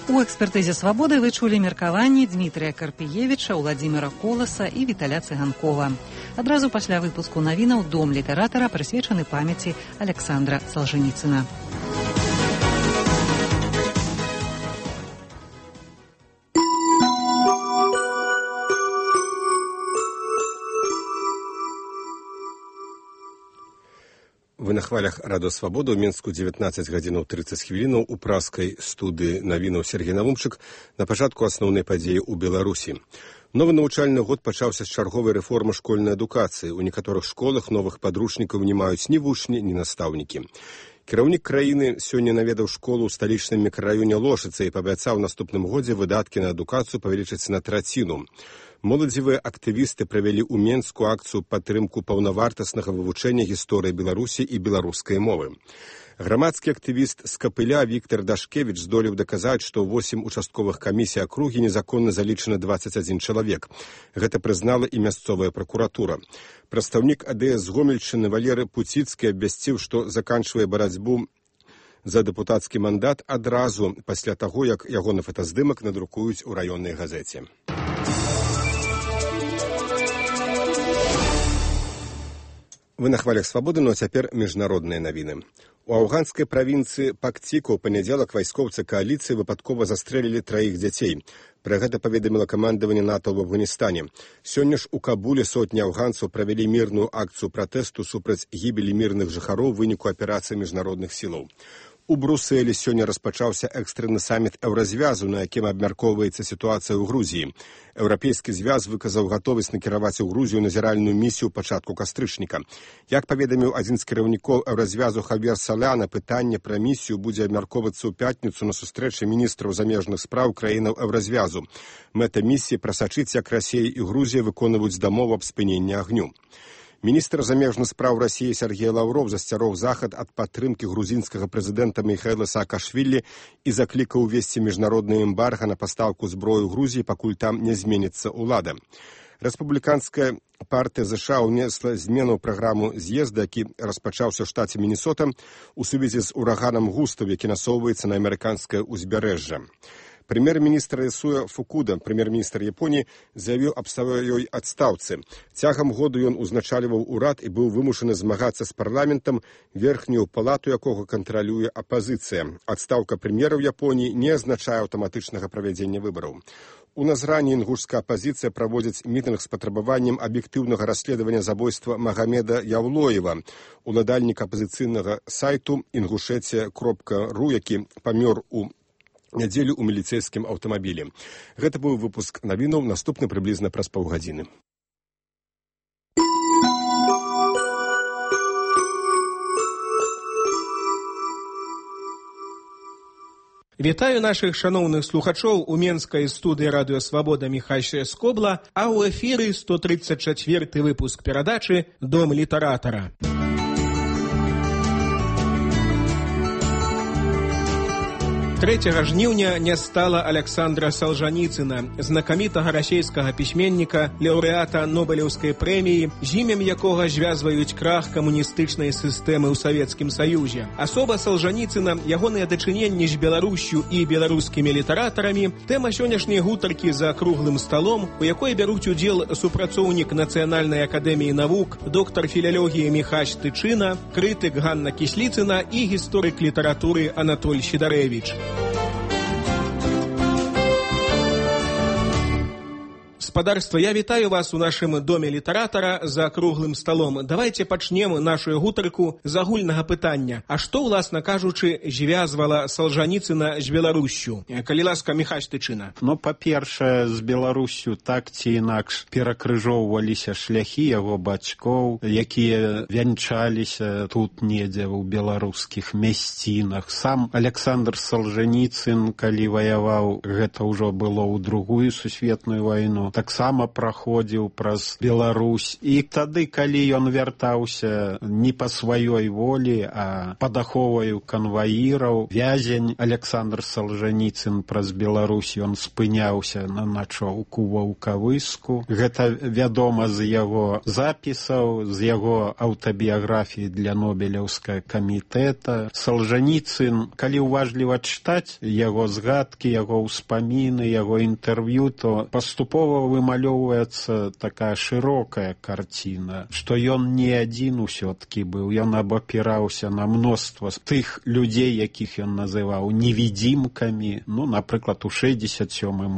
У экспертызе «Свабоды» вы чулі меркаванні Дмітрыя Карпіевіча, Уладзіміра Коласа і Віталя Цыганкова. Адразу пасля выпуску навінаў «Дом літаратара» прысвечаны памяці Александра Солженіцына. Вы на хвалях радыё «Свабода» ў Мінску 19 гадзінаў 30 хвілінаў у праскай студыі навінаў Сергей Навумчык на пачатку асноўнай падзеі ў Беларусі. Новы навучальны год пачаўся з чарговай рэформы школьнай адукацыі. У некаторых школах новых падручнікаў не маюць ні вучні, ні настаўнікі. Кіраўнік краіны сёння наведаў школу ў сталічным мікрараёне Лошыца і паабяцаў наступным годзе выдаткі на адукацыю павялічыць на траціну. Моладзевыя актывісты правялі ў Менску акцыю падтрымку паўнавартаснага вывучэння гісторыі Беларусі і беларускай мовы. Грамадскі актывіст з Капыля Віктор Дашкевіч здолеў даказаць, што 8 участковых камісій акругі незаконна залічана 21 чалавек. Гэта прызнала і мясцовая пракуратура. Прадстаўнік АДС з Гомельшчыны Валерый Пуціцкі абвясціў, што заканчвае барацьбу за дэпутацкі мандат адразу пасля таго, як ягоны фотаздымак надрукуюць у раённай газеце. Вы на хвалях «Свабоды», но цяпер міжнародныя навіны. У афганскай правінцыі Пактіку ў панядзелак вайскоўцы кааліцыі выпадкова застрэлілі 3 дзяцей. Пра гэта паведаміла камандаванне НАТО ў Афганістане. Сёння ж у Кабуле сотні афганцаў правялі мірную акцыю пратэсту супраць гібелі мірных жыхароў у выніку аперацыі міжнародных сілаў. У Брусэлі сёння распачаўся экстрэнны саміт еўразвязу, на якім абмяркоўваецца сітуацыя ў Грузіі. Еўрапейскі звяз выказаў гатовасць накіраваць у Грузію назіральную місію ў пачатку кастрычніка. Як паведаміў адзін з кіраўнікоў еўразвязу Хавьер Саляна, пытанне пра місію будзе абмяркоўвацца ў пятніцу на сустрэчы міністраў замежных спраў краінаў еўразвязу. Мэта місіі прасачыць, як Расія і Грузія выконваюць дамову аб спыненні агню. Міністр замежных спраў Расіі Сергей Лаўров засцярог захад ад падтрымкі грузінскага прэзідэнта Міхаіла Саакашвілі і заклікаў увесці міжнародны эмбарга на пастаўку зброі ў Грузіі, пакуль там не зменіцца ўлада. Рэспубліканская партыя ЗША ўнесла змену ў праграму з'езда, які распачаўся ў штаце Мінесота у сувязі з ураганам Густав, які насоўваецца на амерыканскае ўзбярэжжа. Прэм'ер-міністр Ісуя Фукуда, прэм'ер-міністр Японіі, заявіў аб сваёй адстаўцы. Цягам году ён узначальваў урад і быў вымушаны змагацца з парламентам, верхнюю палату якога кантралюе апазіцыя. Адстаўка прэм'ера ў Японіі не азначае аўтаматычнага правядзення выбараў. У Назрані інгушская апазіцыя праводзіць мітынг з патрабаваннем аб'ектыўнага расследавання забойства Магамеда Яўлоева, уладальніка апазіцыйнага сайту ingushetia.ru, які памёр у нядзелю ў міліцэйскім аўтамабілі. Гэта быў выпуск навінаў, наступны прыблізна праз паўгадзіны. Вітаю нашых шаноўных слухачоў у менскай студыі радыё «Свабода» Міхась Скобла, а ў эфіры 134-й выпуск перадачы «Дом літаратара». 3 жніўня не стала Александра Солженіцына, знакамітага расійскага пісьменніка, лаўрэата Нобелеўскай прэміі, з імем якога звязваюць крах камуністычнай сістэмы ў Савецкім Саюзе. Асоба Солженіцына, ягоныя дачыненні з Беларуссю і беларускімі літаратарамі, тэма сённяшняй гутаркі за круглым сталом, у якой бяруць удзел супрацоўнік Нацыянальнай акадэміі навук, доктар філалогіі Міхась Тычына, крытык Ганна Кісліцына і гісторык літаратуры Анатоль Сідарэвіч. Спадарства, я вітаю вас у нашым доме літаратара за круглым сталом. Давайте пачнем нашу гутарку з агульнага пытання. А што, уласна кажучы, звязвала Солженіцына з Беларуссю? Калі ласка, Міхась Тычына. Ну, па-першае, з Беларуссю так ці інакш перакрыжоўваліся шляхі яго бацькоў, якія вянчаліся тут недзе ў беларускіх мясцінах. Сам Александр Солженіцын, калі ваяваў, гэта ўжо было ў Другую сусветную вайну, таксама праходзіў праз Беларусь. І тады, калі ён вяртаўся не па сваёй волі, а пад аховаю канваіраў, вязень Александр Солженіцын праз Беларусь, ён спыняўся на начоўку Ваўкавыску. Гэта вядома з яго запісаў, з яго аўтабіяграфіі для Нобелеўскага камітэта. Солженіцын, калі уважліва чытаць яго згадкі, яго ўспаміны, яго інтэрв'ю, то паступова вымалёўваецца такая шырокая карціна, што ён не адзін усё-ткі быў, ён абапіраўся на мноства тых людзей, якіх ён называў невідзімкамі. Ну, напрыклад, у 67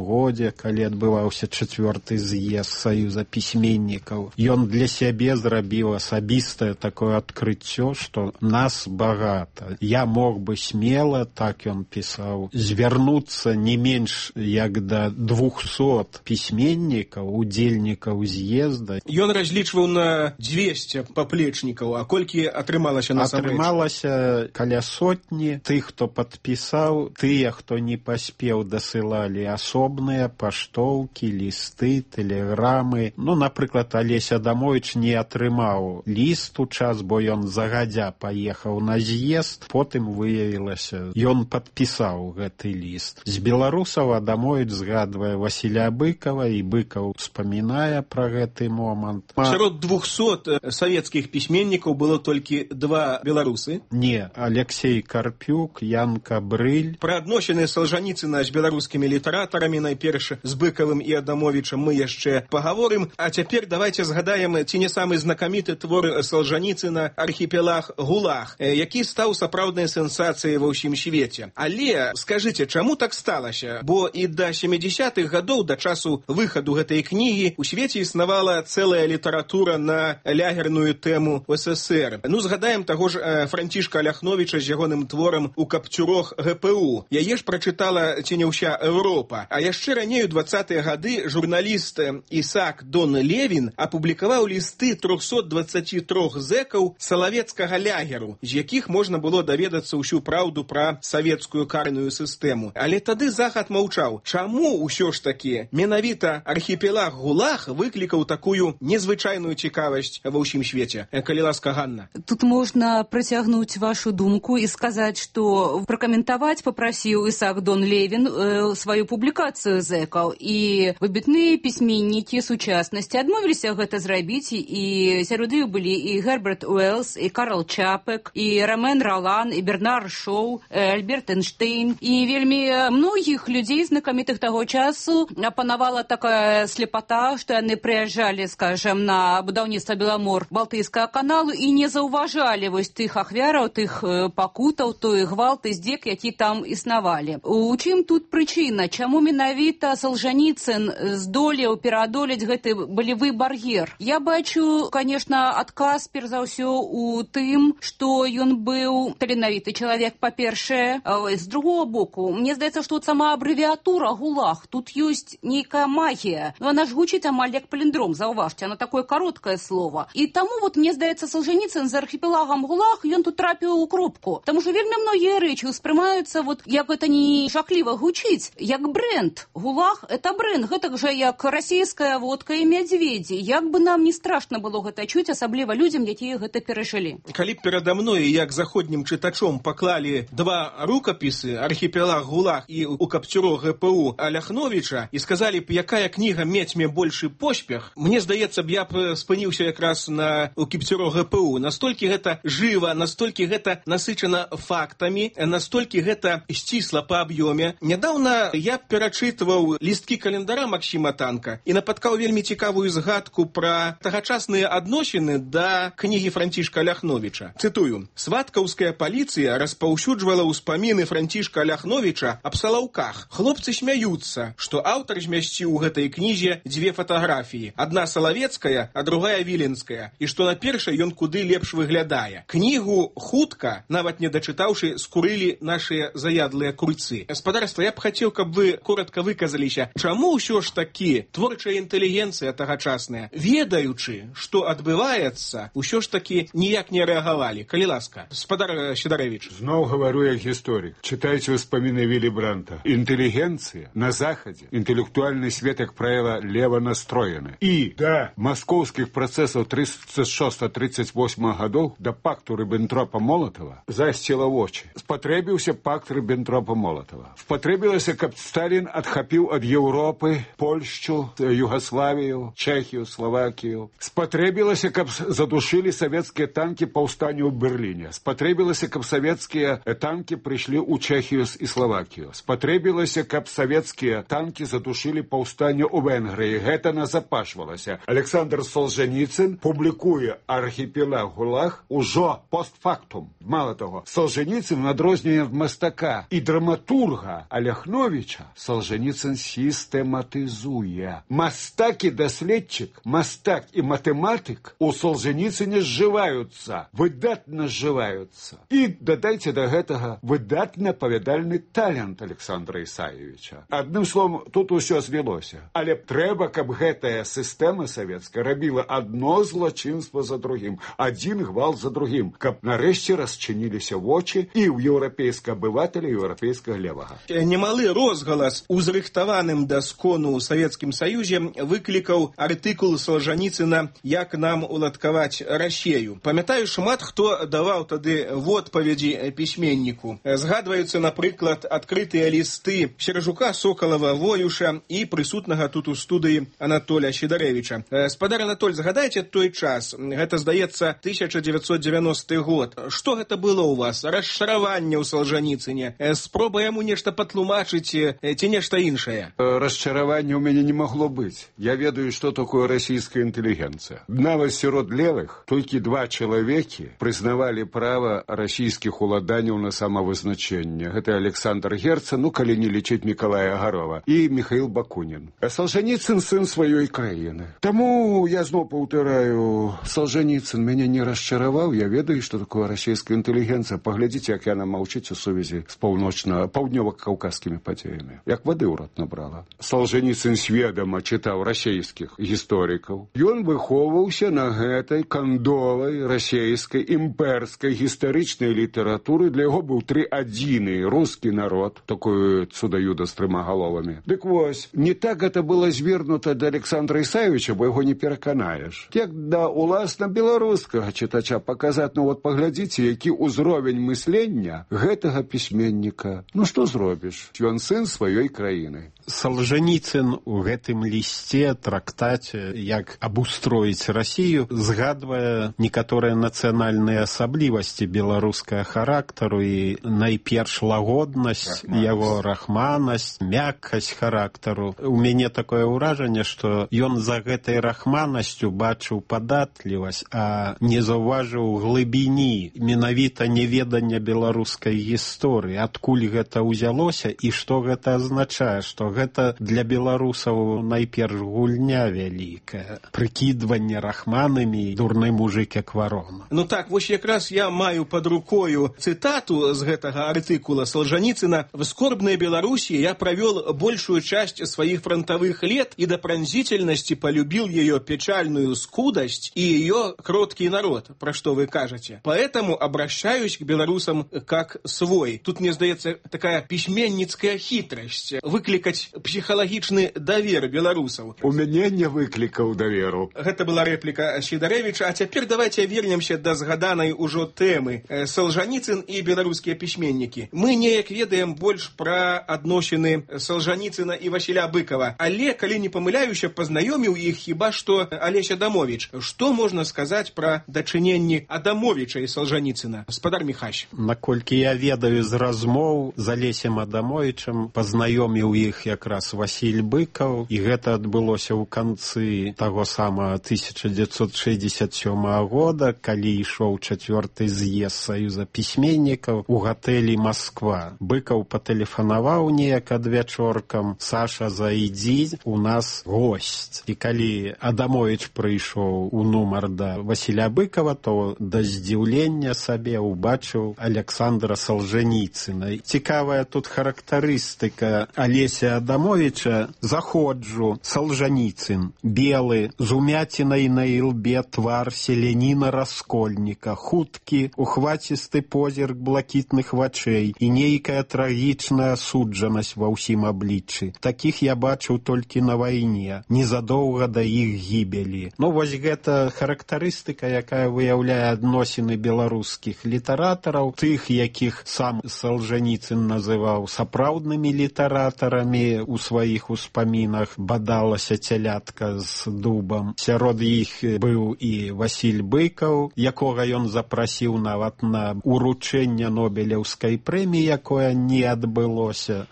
годзе, калі адбываўся 4-й з'езд Саюза пісьменнікаў, ён для сябе зрабіў асабістае такое адкрыццё, што нас багата. Я мог бы смела, так ён пісаў, звярнуцца не менш як да 200 пісьменнікаў, удзельнікаў з'езда. Ён разлічваў на 200 паплечнікаў, а колькі атрымалася насамрэч? Атрымалася каля сотні. Тых, хто падпісаў, тыя, хто не паспеў, дасылалі асобныя паштоўкі, лісты, тэлеграмы. Ну, напрыклад, Алесь Адамович не атрымаў ліст у час, бо ён загадзя паехаў на з'езд. Потым выявілася, ён падпісаў гэты ліст. З беларусаў Адамович згадвае Васіля Быкова, і Быкаў успамінае пра гэты момант. Сярод 200 савецкіх пісьменнікаў было толькі 2 беларусы? Не, Алексей Карпюк, Ян Кабрыль. Пра адносіны Солжаніцына з беларускімі літаратарамі, найперш з Быкавым і Адамовічам, мы яшчэ пагаворым. А цяпер давайте згадаем ці не самы знакаміты твор Солжаніцына «Архіпелаг ГУЛАГ», які стаў сапраўднай сенсацыяй ва ўсім свеце. Але скажыце, чаму так сталася? Бо і да 70-х гадоў, да часу выхаду гэтай кнігі, у свеце існавала цэлая літаратура на лягерную тэму СССР. Ну, згадаем таго ж Францішка Ляхновіча з ягоным творам «У капцюрох ГПУ». Яе ж прачытала ці не ўся Еўропа. А яшчэ раней у 20-е гады журналіст Ісаак Дон Левін апублікаваў лісты 323 зэкаў салавецкага лягеру, з якіх можна было даведацца ўсю праўду пра савецкую карную сістэму. Але тады Захад маўчаў. Чаму ўсё ж такі менавіта архіпелаг ГУЛАГ выклікаў такую незвычайную цікавасць ва ўсім свеце? Калі ласка, Ганна. Тут можна працягнуць вашу думку і сказаць, што пракаментаваць папрасіў Ісаак Дон Левін сваю публікацыю зэкаў, і выбітныя пісьменнікі сучаснасці адмовіліся гэта зрабіць, і сярод іх былі і Герберт Уэллс, і Карл Чапек, і Ромен Ролан, і Бернар Шоу, Альберт Эйнштейн, і вельмі многіх людзей знакамітых таго часу апанавала такая слепата, што яны прыязджалі, скажем, на будаўніцтва Беламор-Балтыйскага каналу і не заўважалі вось тых ахвяраў, тых пакутаў, той гвалт і здзек, які там існавалі. У чым тут прычына? Чаму менавіта Солжаніцын здолеў пераадолець гэты балевы бар'ер? Я бачу, конечно, адказ перш за ўсё у тым, што ён быў таленавіты чалавек, па-першае. З другого боку, мне здаецца, што сама абрэвіатура ГУЛАГ, тут ёсць нейкая магія. Но она ж гучыць амаль як паліндром, заўважце, она такое кароткае слово. І таму, вот, мне здаецца, Солженіцын з архіпелагам ГУЛАГ, ён тут трапіў у кропку. Таму што вельмі многія рэчы ўспрымаюцца, вот, як гэта не жахліва гучыць, як бренд. ГУЛАГ — это бренд, гэтак жа як расійская водка і мядзведзі. Як бы нам не страшна было гэта чуць, асабліва людзям, якія гэта перажылі. Калі б перада мной, як заходнім чытачом, паклалі 2 рукапісы «Архіпелаг ГУЛАГ» і «У капцюрох ГПУ» Ляхновіча і сказалі б, якая кніга мець большы поспех, мне здаецца б, я б спыніўся якраз на «У капцюрох ГПУ». Настолькі гэта жыва, настолькі гэта насычана фактамі, настолькі гэта сцісла па аб'ёме. Нядаўна я перачытваў лісткі календара Максіма Танка і напаткаў вельмі цікавую згадку пра тагачасныя адносіны да кнігі Францішка Ляхновіча. Цытую: «Сваткаўская паліцыя распаўсюджвала ўспаміны Францішка Ляхновіча аб салаўках. Хлопцы смяюцца, што аўтар змясціў у гэтай кнізе 2 фатаграфіі. Адна салавецкая, а другая віленская. І што на першай ён куды лепш выглядае. Кнігу хутка, нават не дачытаўшы, скурылі нашыя заядлыя курцы». Гаспадарства, я б хацеў, каб вы коротка выказаліся, чаму ўсё ж такі творчая інтэлігенцыя тагачасная, ведаючы, што адбываецца, ўсё ж такі ніяк не рэагавалі? Калі ласка, гаспадар Сідаравіч. Зноў гавару як гісторык. Чытайце ўспаміны Вілі Бранта. Інтэлігенцыя на Захадзе, інтэлектуальны свет как правило, лево настроены. И до московских процессов 36-38 годов, до пакту Риббентропа-Молотова, засціла вочы. Спатрэбіўся пакт Риббентропа-Молотова. Спатрэбілася, каб Сталин адхапіў ад Европы Польшчу, Югославію, Чехію, Словакію. Спатрэбілася, каб задушили советские танки паўстанню ў Берлине. Спатрэбілася, каб советские танки пришли у Чехию и Словакию. Спатрэбілася, каб советские танки задушили паўстанню ў Венгрии. Гэта назапашвалася. Александр Солженіцын публікуе «Архіпелаг ГУЛАГ» ужо постфактум. Мало того, Солженіцын, в адрозненне ад мастака і драматурга Аляхновича, Солженіцын систематизуе. Мастак и доследчик, мастак и математик у Солженіцыне сживаются, выдатно сживаются. И додайте до гэтага выдатно павядальны талент Александра Ісаевича. Адным словом, тут усё звелося. Але трэба, каб гэтая сістэма савецкая рабіла адно злачынства за другім, адзін гвалт за другім, каб нарэшце расчыніліся вочы і ў еўрапейскага абывателя, і еўрапейскага левага. Немалы розгалас у зрыхтаваным да скону ў Савецкім Саюзе выклікаў артыкул Солженіцына «Як нам уладкаваць Расею». Памятаю, шмат хто даваў тады в адпаведзі пісьменніку. Згадваюцца, напрыклад, адкрытыя лісты Сержука, Сокалава, Воюша і прысутнага тут у студыі Анатоля Сідарэвіча. Спадар Анатоль, згадайце той час, гэта, здаецца, 1990 год. Што гэта было ў вас? Расчараванне ў Солженіцыне? Спроба яму нешта патлумачыць ці нешта іншае? Расчаравання ў мяне не магло быць. Я ведаю, што такое расійская інтэлігенцыя. Нават сярод левых толькі два чалавекі прызнавалі права расійскіх уладанняў на самавызначэнне. Гэта Александр Герцен, ну, калі не лічыць Мікалая Гарова, і Михаил Бакунін. Солженіцын сын сваёй краіны. Таму я зноў паўтараю, Солженіцын мяне не расчараваў. Я ведаю, што такое расійская інтэлігенцыя. Паглядзіце, як яна маўчыць у сувязі з паўднёва-каўказскімі падзеямі. Як вады ў рот набрала. Солженіцын сведама чытаў расійскіх гісторыкаў. Ён выхоўваўся на гэтай кандовай расійскай імперскай гістарычнай літаратуры. Для яго быў адзіны рускі народ, такой цудаюда з трыма галовамі. Дык вось, не так гэта было звернута да Александра Ісаевича, бо яго не пераканаеш. Як да уласна беларускага чытача паказаць, ну вот паглядзіце, які ўзровень мыслення гэтага пісьменніка. Ну што зробіш? Ён сын сваёй краіны. Солженіцын у гэтым лісце, трактаце, як абустроіць Расію, згадвае некаторыя нацыянальныя асаблівасці беларускага характару і найперш лагоднасць яго, рахманасць, мяккасць характару. У мяне такое ўражанне, што ён за гэтай рахманасцю бачыў падатлівасць, а не заўважыў глыбіні, менавіта неведання беларускай гісторыі, адкуль гэта ўзялося і што гэта азначае, што гэта для беларусаў найперш гульня вялікая, прыкідванне рахманамі, дурны мужик як варона. Ну так, вось якраз я маю под рукою цытату з гэтага артыкула Солженіцына. В скорбной Беларуси я провел большую часть своих фронтовых лет и до пронзительности полюбил ее печальную скудость и ее кроткий народ, про что вы кажете. Поэтому обращаюсь к белорусам как свой. Тут, мне сдается, такая письменницкая хитрость. Выкликать психологичный давер белорусов. У меня не выкликал доверу. Это была реплика Сідарэвіча. А теперь давайте вернемся до згаданай ужо тэмы. Солженіцын и белорусские письменники. Мы неяк ведаем больш про адносіны Солженіцына и Васіля Быкова. Але, калі не памыляюся, познаёміў іх хіба што Алесь Адамович. Что можно сказать про дачыненні Адамовича и Солженіцына? Спадар Михась. Наколькі я ведаю з размоў з Алесем Адамовичам, познаёміў іх якраз Васіль Быкаў, і гэта адбылося ў канцы таго самага 1967 года, калі ішоў 4-й з'езд Саюза пісьменнікаў у гатэлі Москва. Быкаў патэлефанаваў неяк адвячоркам: Саша, зайдзі, у нас госць. І калі Адамович прыйшоў у нумар да Васіля Быкова, то да здзіўлення сабе ўбачыў Александра Солженіцына. Цікавая тут характарыстыка Алеся Адамовича заходжу. Солженіцын, белы, з умяцінай на ілбе твар селяніна раскольніка, хуткі, ухвацісты позірк блакітных вачэй і нейкая трагічная асуджанасць ва ўсім абліччы. Такіх я бачыў толькі на вайне, незадоўга да іх гібелі. Ну, вось гэта характарыстыка, якая выяўляе адносіны беларускіх літаратараў, тых, якіх сам Солженіцын называў сапраўднымі літаратарамі у сваіх успамінах, бадалася цялятка з дубам. Сярод іх быў і Васіль Быкаў, якога ён запрасіў нават на уручэнне Нобелеўскай прэміі, якое не адбылося.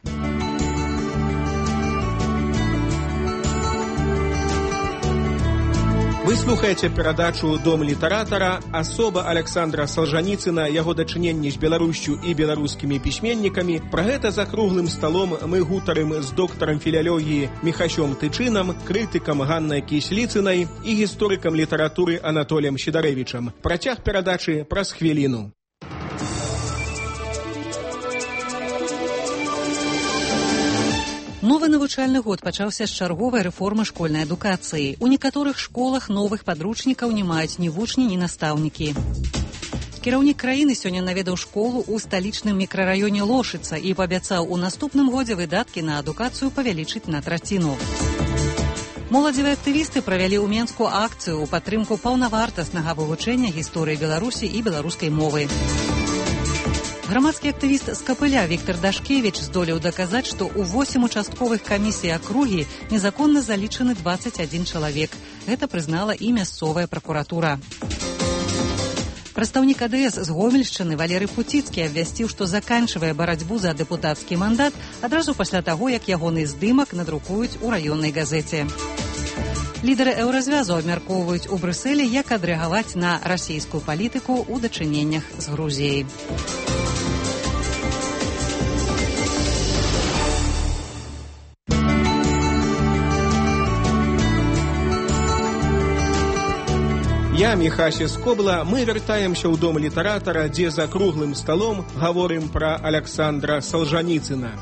Вы слухаеце перадачу «Дом літаратара», асоба Александра Солженіцына, яго дачыненні з Беларусю і беларускімі пісьменнікамі. Пра гэта за круглым сталом мы гутарым з доктарам філялогіі Міхасём Тычынам, крытыкам Ганнай Кісліцынай і гісторыкам літаратуры Анатоліем Сідарэвічам. Працяг перадачы праз хвіліну. Новы навучальны год пачаўся з чарговай рэформы школьнай адукацыі. У некаторых школах новых падручнікаў не маюць ні вучні, ні настаўнікі. Кіраўнік краіны сёння наведаў школу ў сталічным мікрараёне Лошыца і паабяцаў у наступным годзе выдаткі на адукацыю павялічыць на траціну. Моладзевыя актывісты правялі ў Менску акцыю ў падтрымку паўнавартаснага вывучэння гісторыі Беларусі і беларускай мовы. Грамадскі актывіст з Капыля Віктор Дашкевіч здолеў даказаць, што ў 8 участковых камісій акругі незаконна залічаны 21 чалавек. Гэта прызнала і мясцовая пракуратура. Прадстаўнік АДС з Гомельшчыны Валерый Пуціцкі абвясціў, што заканчвае барацьбу за дэпутацкі мандат адразу пасля таго, як ягоны здымак надрукуюць у раённай газеце. Лідары еўразвязу абмяркоўваюць у Брюсселі, як адрэагаваць на расійскую палітыку ў дачыненнях з Грузіяй. Я, Міхася Скобла, мы вяртаемся ў дом літаратара, дзе за круглым сталом гаворым пра Александра Солженіцына.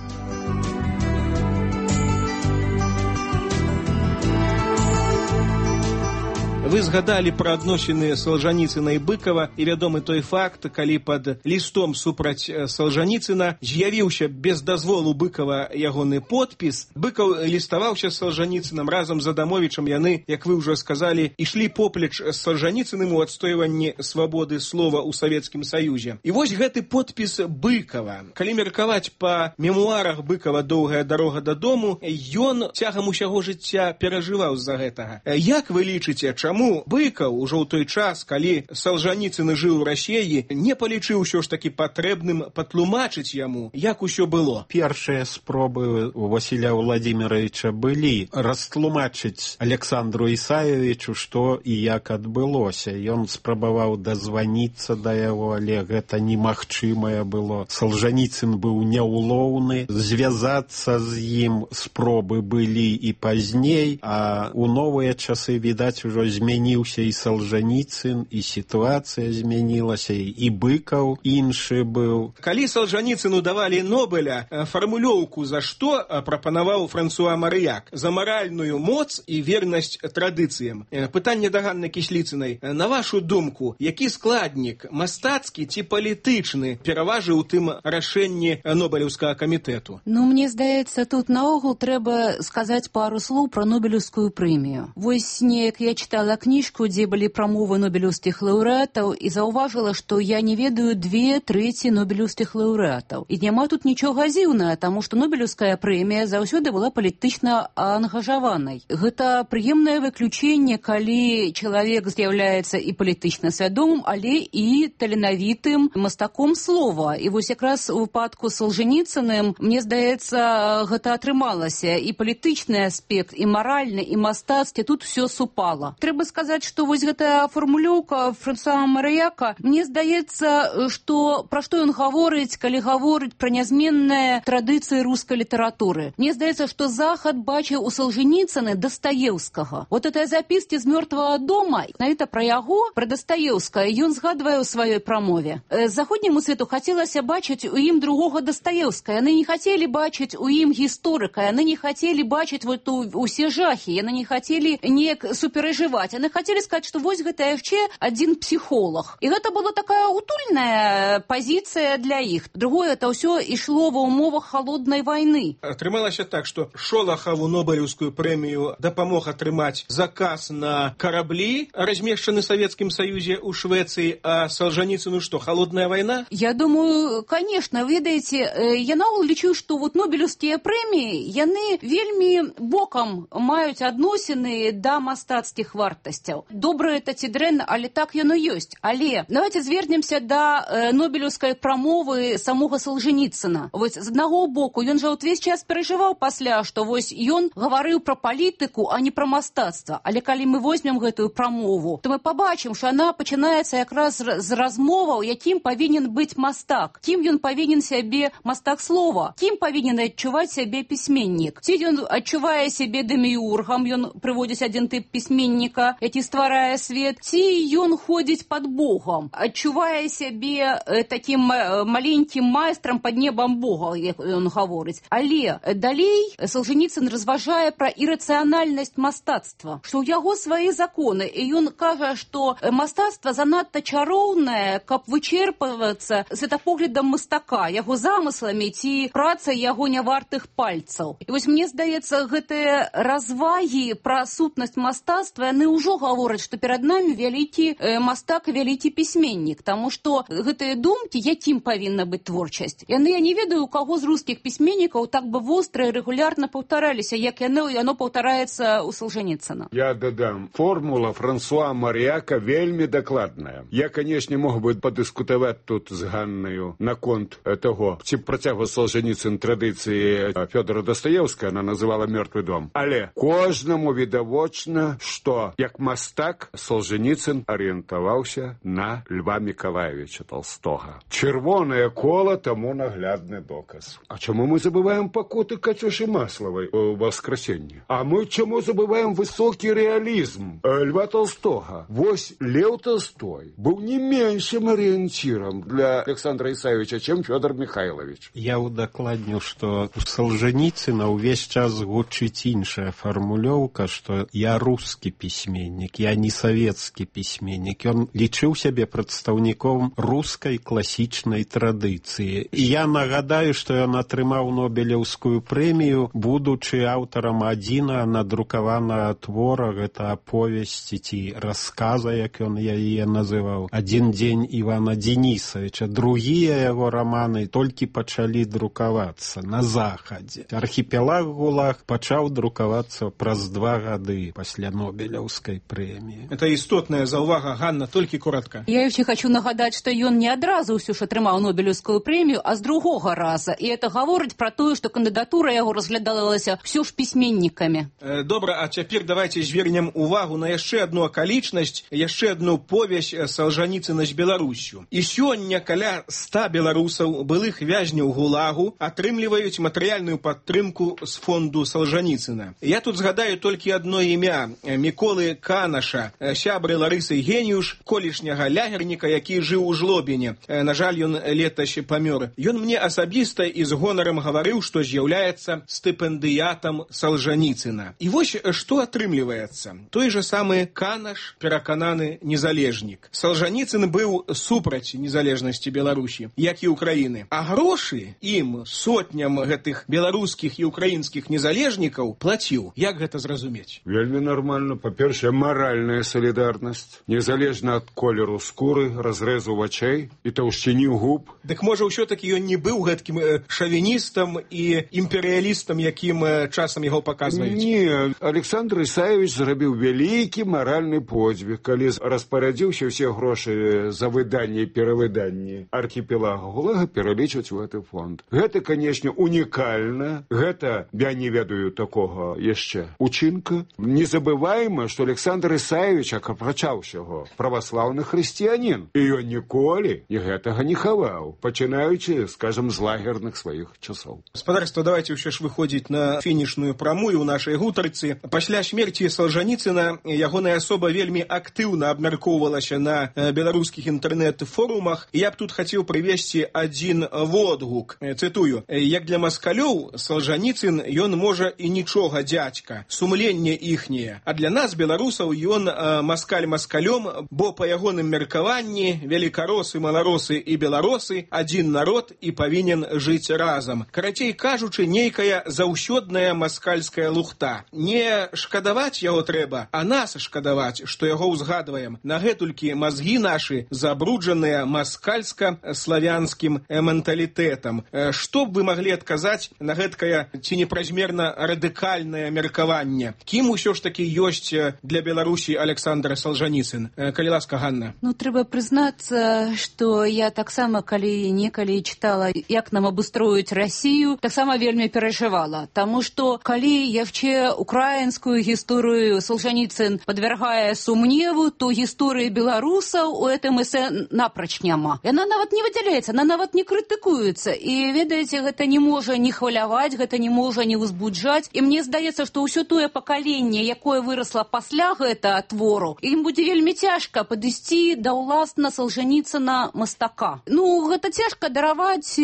Вы згадалі пра адносіны Солженіцына і Быкава, і вядомы той факт, калі пад лістом супраць Солженіцына з'явіўся без дазволу Быкава ягоны подпіс. Быкаў ліставаўся з Солженіцынам разам з Адамовічам. Яны, як вы ўжо сказалі, ішлі поплеч з Солженіцыным у адстойванні свабоды слова ў Савецкім Саюзе. І вось гэты подпіс Быкава. Калі меркаваць па мемуарах Быкава «Доўгая дарога дадому», ён цягам усяго жыцця перажываў з-за гэтага. Як вы лічыце, чаму Быкаў ужо ў той час, калі Солженіцын жыў у Расіі, не палічыў усё ж такі патрэбным патлумачыць яму, як усё было? Першыя спробы у Васіля Владимировича былі растлумачыць Александру Ісаевичу, што і як адбылося. Ён спрабаваў дазваніцца да яго, але гэта немагчымае было. Солженіцын быў няўлоўны, звязацца з ім спробы былі і пазней, а ў новыя часы, відаць, ужо змяніўся і Солженіцын, і сітуацыя змянілася, і Быкаў іншы быў. Калі Солженіцыну давалі Нобеля, фармулёўку за што прапанаваў Франсуа Марыяк? За маральную моц і вернасць традыцыям. Пытанне да Ганны Кісліцынай. На вашу думку, які складнік, мастацкі ці палітычны, пераважыў у тым рашэнні Нобелеўскага камітэту? Ну, мне здаецца, тут наогул трэба сказаць пару слоў пра Нобелеўскую прэмію. Вось неяк я чытала кніжку, дзе былі прамовы нобелеўскіх лаўрэатаў, і заўважыла, што я не ведаю 2/3 нобелеўскіх лаўрэатаў. І няма тут нічога дзіўнага, таму што Нобелеўская прэмія заўсёды была палітычна ангажаванай. Гэта прыемнае выключэнне, калі чалавек з'яўляецца і палітычна свядомым, але і таленавітым мастаком слова. І вось якраз у выпадку з Солженіцыным, мне здаецца, гэта атрымалася. І палітычны аспект, і маральны, і мастацкі, тут все супала. Трэба трэба сказаць, што вось гэтая фармулёўка Франсуа Марыяка, мне здаецца, што пра што ён гаворыць, калі гаворыць пра нязменныя традыцыі рускай літаратуры. Мне здаецца, што Захад бачыў у Солженіцыны Дастаеўскага. Вот этой запіскі з мёртвага дома, навіта пра яго, пра Дастаеўскага, ён згадвае ў сваёй прамове. Заходняму свету хацелася бачыць у ім другога Дастаеўскага. Яны не хацелі бачыць у ім гісторыка, яны не хацелі бачыць вот усе жахі, яны не хацелі неяк суперажываць. Яны хацелі сказаць, што вось гэта яшчэ адзін псіхолог. І гэта была такая утульная пазіцыя для іх. Другое, это ўсё ішло ва ўмовах халоднай вайны. Атрымалася так, што Шолахаву Нобелеўскую прэмію дапамог атрымаць заказ на караблі, размешчаны в Советскім Саюзе ў Швецыі, а Солженіцыну што, халодная вайна? Я думаю, конечно, ведаеце, я наогул лічу, што вот Нобелеўскія прэміі, яны вельмі бокам маюць адносіны да мастацкіх вартасцяў. Добра это ці дрэнна, але так яно ёсць. Але давайте звернемся да Нобелеўскай прамовы самога Солженіцына. Вось з аднаго боку, ён жа ўвесь час перажываў пасля, што вось ён гаварыў пра палітыку, а не пра мастацтва. Але калі мы возьмем гэтую прамову, то мы побачым, што яна пачынаецца якраз з размоваў, якім павінен быць мастак, кім ён павінен сябе мастак слова, кім павінен адчуваць сябе пісьменнік. Ці ён адчувае сябе дэміургам, ён прыводзіць адзін тып пісьменніка, які стварае свет, ці ён ходзіць пад Богам, адчувае сябе такім маленькім майстрам пад небам Бога, як ён гаворыць. Але далей Солженіцын разважае пра ірацыянальнасць мастацтва, што ў яго свае законы, і ён кажа, што мастацтва занадта чароўнае, каб вычерпвацца светапоглядам мастака, яго замысламі ці працай яго нявартых пальцаў. І вось мне здаецца, гэтыя развагі пра сутнасць мастацтва, яны ўжо гавораць, што перад намі вялікі мастак і вялікі пісьменнік, таму што гэтыя думкі, якім павінна быць творчасць, яны, я не ведаю, у каго з рускіх пісьменнікаў так бы востра і рэгулярна паўтараліся, як яно паўтараецца у Солженіцына. Я дадам, формула Франсуа Марыяка вельмі дакладная. Я, канешне, мог бы падыскутаваць тут з Ганнаю наконт таго, ці працягваў Солженіцын традыцыі Фёдора Дастаеўскага, она называла «Мёртвы дом». Але кожнаму відавочна, што як мастак Солженіцын арыентаваўся на Льва Мікалаевича Толстога. Чырвонае кола таму наглядны доказ. А чаму мы забываем пакуты Кацюшы Маславай у Воскресенні? А мы чаму забываем высокі рэалізм Льва Толстога? Вось Лев Толстой быў не меншым арыенцірам для Александра Ісаевича, чым Фёдор Михайлович. Я удакладню, што у Солженіцына ўвесь час гучыць іншая фармулёўка, што я рускі пісьменнік, я не савецкі пісьменнік. Ён лічыў сябе прадстаўніком рускай класічнай традыцыі. І я нагадаю, што ён атрымаў Нобелеўскую прэмію, будучы аўтарам адзіна надрукаванага твора, гэта аповесці ці расказа, як ён яе называў, «Адзін дзень Івана Денісавіча». Другія яго раманы толькі пачалі друкавацца на Захадзе. Архіпелаг ГУЛАГ пачаў друкавацца праз 2 гады пасля Нобелеўскай прэміі. Это істотная заўвага, Ганна, толькі коротка. Я яшчэ хочу нагадаць, што ён не адразу ўсё ж атрымаў Нобелеўскую прэмію, а з другога раза. І это гаворыць пра тое, што кандыдатура яго разглядалася ўсё ж пісьменнікамі. Добра, а цяпер давайте звернем увагу на яшчэ адну акалічнасць, яшчэ адну повязь Солженіцына з Беларусю. І сёння каля 100 беларусаў, былых вязняў ГУЛАГу, атрымліваюць матэрыяльную падтрымку з фонду Солженіцына. Я тут згадаю толькі адно імя Міколы Канаша, сябры Ларысы Геніюш, колішняга лягерніка, які жыў у Жлобіне. На жаль, ён летась памёр. Ён мне асабіста і з гонарам гаварыў, што з'яўляецца стыпендыятам Солженіцына. І вось што атрымліваецца. Той же самы Канаш, перакананы незалежнік. Солженіцын быў супраць незалежнасці Беларусі, як і Украіны. А грошы ім, сотням гэтых беларускіх і украінскіх незалежнікаў, плаціў. Як гэта зразумець? Вельмі нармальна. Па-першае, маральная салідарнасць, незалежна ад колеру скуры, разрэзу вачэй і таўшчыні губ. Дык можа ўсё-такі ён не быў гэткім шавіністам і імперыялістам, якім часам яго паказваюць? Не, Александр Ісаевич зрабіў вялікі маральны подзвіг, калі распарадзіўся ўсе грошы за выданне і перавыданне архіпелага ГУЛАГа пералічваць у гэты фонд. Гэта, канешне, унікальна. Гэта, я не ведаю такога яшчэ учынка. Не забываем, што Александр Ісаевич, апрача ўсяго, праваслаўны хрысціянін. І ён ніколі і гэтага не хаваў, пачынаючы, скажем, з лагерных сваіх часоў. Спадарства, давайте ўсё ж выходзіць на фінішную прамую ў нашай гутарцы. Пасля смерці Салжаніцына ягоная асоба вельмі актыўна абмяркоўвалася на беларускіх інтэрнэт-форумах. Я б тут хацеў прывесці адзін водгук. Цытую: «Як для маскалёў, Салжаніцын, ён можа і нічога дзядзька, сумленне іхняе. А для нас, беларусаў, ён маскаль маскалём, бо па ягоным меркаванні велікаросы, маларосы і беларосы адзін народ і павінен жыць разам. Карацей кажучы, нейкая заўсёдная маскальская лухта. Не шкадаваць яго трэба, а нас шкадаваць, што яго ўзгадваем. Нагэтулькі мазгі нашы забруджаныя маскальска-славянскім менталітэтам». Што б вы маглі адказаць на гэткае ці непразмерна радыкальнае меркаванне? Кім усё ж такі ёсць для Беларусі Александр Салжаніцын? Калі ласка, Ганна. Трэба прызнацца, што я таксама, калі некалі чытала, як нам абустроіць Расію, таксама вельмі перажывала. Таму што, калі яшчэ украінскую гісторыю Салжаніцын падвяргае сумневу, то гісторыі беларусаў у гэтым эсэ напроч няма. Яна нават не выдзяляецца, она нават не крытыкуецца. І, ведаеце, гэта не можа не хваляваць, гэта не можа не ўзбуджаць. І мне здаецца, што ўсё тое пакаленне, якое вырасла пасля гэтага твору, ім будзе вельмі цяжка падысці да ўласна Салжаніцына мастака. Гэта цяжка дараваць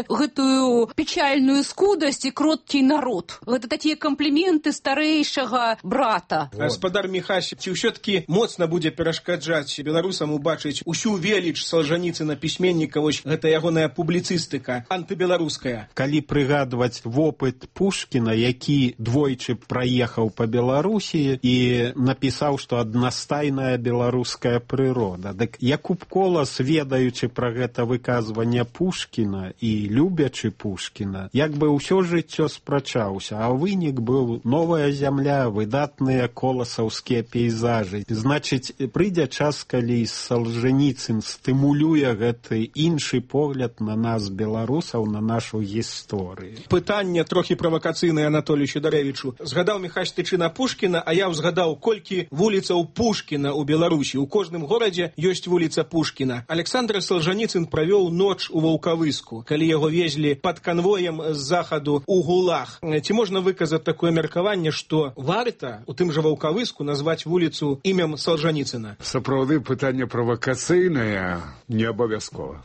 гэтую печальную скудасць і кроткі народ. Гэта такія кампліменты старэйшага брата. Гаспадар Міхась, ці ўсё-такі моцна будзе перашкаджаць беларусам убачыць усю веліч Салжаніцына пісьменніка, вось гэта ягоная публіцыстыка антыбеларуская? Калі прыгадваць вопыт Пушкіна, які двойчы праехаў па Беларусі і напісаў, што аднастайная беларуская прырода. Дык Якуб Колас, ведаючы пра гэта выказванне Пушкіна і любячы Пушкіна, як бы ўсё жыццё спрачаўся, а вынік быў новая зямля, выдатныя коласаўскія пейзажы. Значыць, прыйдзе час, калі Салжаніцын стымулюе гэты іншы погляд на нас, беларусаў, на нашу гісторыю. Пытанне трохі правакацыйнае Анатолію Сідарэвічу. Згадаў Міхась Тычына Пушкіна, а я ўзгадаў, колькі вуліцаў Пушкіна ў Беларусі. У кожным горадзе ёсць вуліца Пушкіна. Александр Салжаніцын правёў ноч у Ваўкавыску, калі яго везлі пад канвоем з захаду ў Гулаг. Ці можна выказаць такое меркаванне, што варта у тым жа Ваўкавыску назваць вуліцу імем Салжаніцына? Сапраўды, пытанне правакацыйнае, не абавязкова.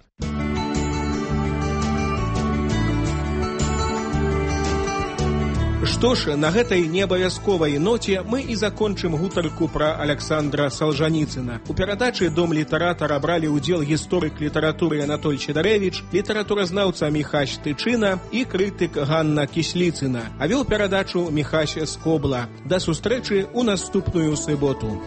Што ж, на гэтай неабавязковай ноце мы і закончым гутарку пра Александра Салжаніцына. У перадачы «Дом літаратара» бралі ўдзел гісторык літаратуры Анатоль Сідарэвіч, літаратуразнаўца Міхась Тычына і крытык Ганна Кісліцына. А вёў перадачу Міхась Скобла. Да сустрэчы ў наступную суботу.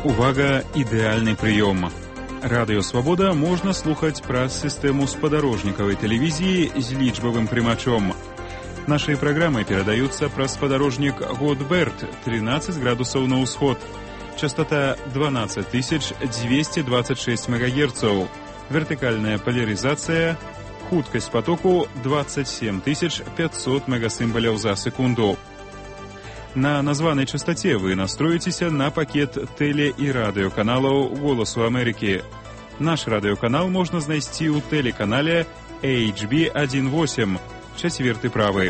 Увага, ідэальны прыём. Радыё «Свабода» можна слухаць праз сістэму спадарожнікавай тэлевізіі з лічбавым прымачом. Нашыя праграмы перадаюцца праз спадарожнік Годберт, 13 градусаў на ўсход. Частота 12226 МГц. Вертыкальная поляризация. Хуткасць потоку 27500 мегасімбаляў за секунду. На названай частоце вы настроіцеся на пакет тэле- і радыёканалаў «Голасу Амерыкі». Наш радыёканал можна знайсці ў тэлеканале HB18, 4 правы.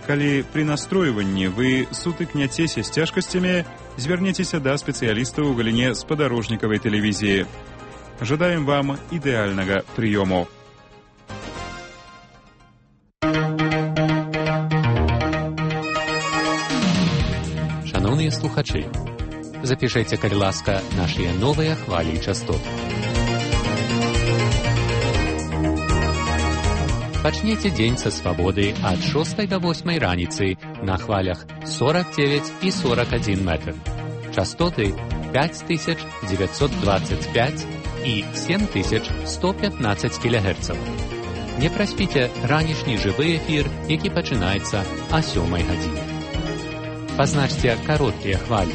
Калі пры настройванні вы сутыкняцеся з цяжкасцямі, звярніцеся да спецыялістаў у галіне спадарожнікавай тэлевізіі. Жадаем вам ідэальнага прыёму. Шановныя слухачы, запішайце, калі ласка, нашыя новыя хвалі частот. Пачніце дзень са свабоды ад 6 до 8 раніцы на хвалях 49 і 41 метр. Частоты 5925 і 7115 кГц. Не праспіце ранішні жывы эфір, які пачынаецца а 7 гадзіне. Пазначце кароткія хвалі.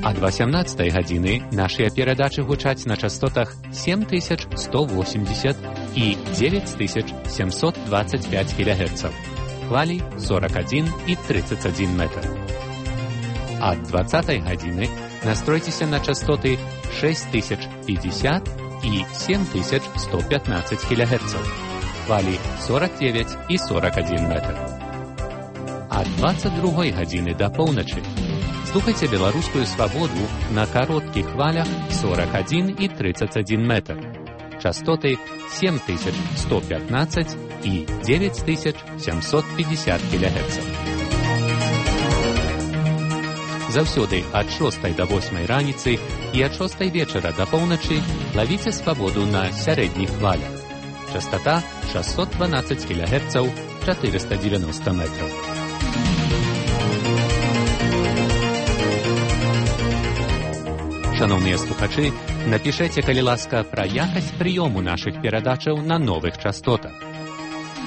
Ад 18 гадзіны нашыя перадачы гучаць на частотах 7180 і 9725 кГц. Хвалі 41 і 31 метр. Ад 20 гадзіны настройцеся на частоты 6050 і 7115 кГц. Хвалі 49 і 41 метр. Ад 22 гадзіны да поўначы слухайце беларускую свабоду на кароткіх хвалях 41 і 31 метр. Частоты 7115 і 9750 кГц. Заўсёды ад 6 до 8 раніцы і ад 6 вечара да поўначы лавіце свабоду на сярэдніх хвалях. Частота 612 кГц, 490 метров. Шановныя слухачы, напішэце, калі ласка, пра якасць прыёму нашых перадачаў на новых частотах.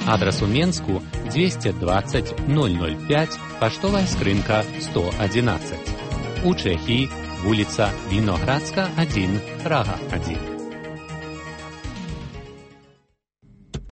Адрас у Менску 220 005, паштовая скрынка 111. У Чэхіі вуліца Віноградска 1, Прага 1.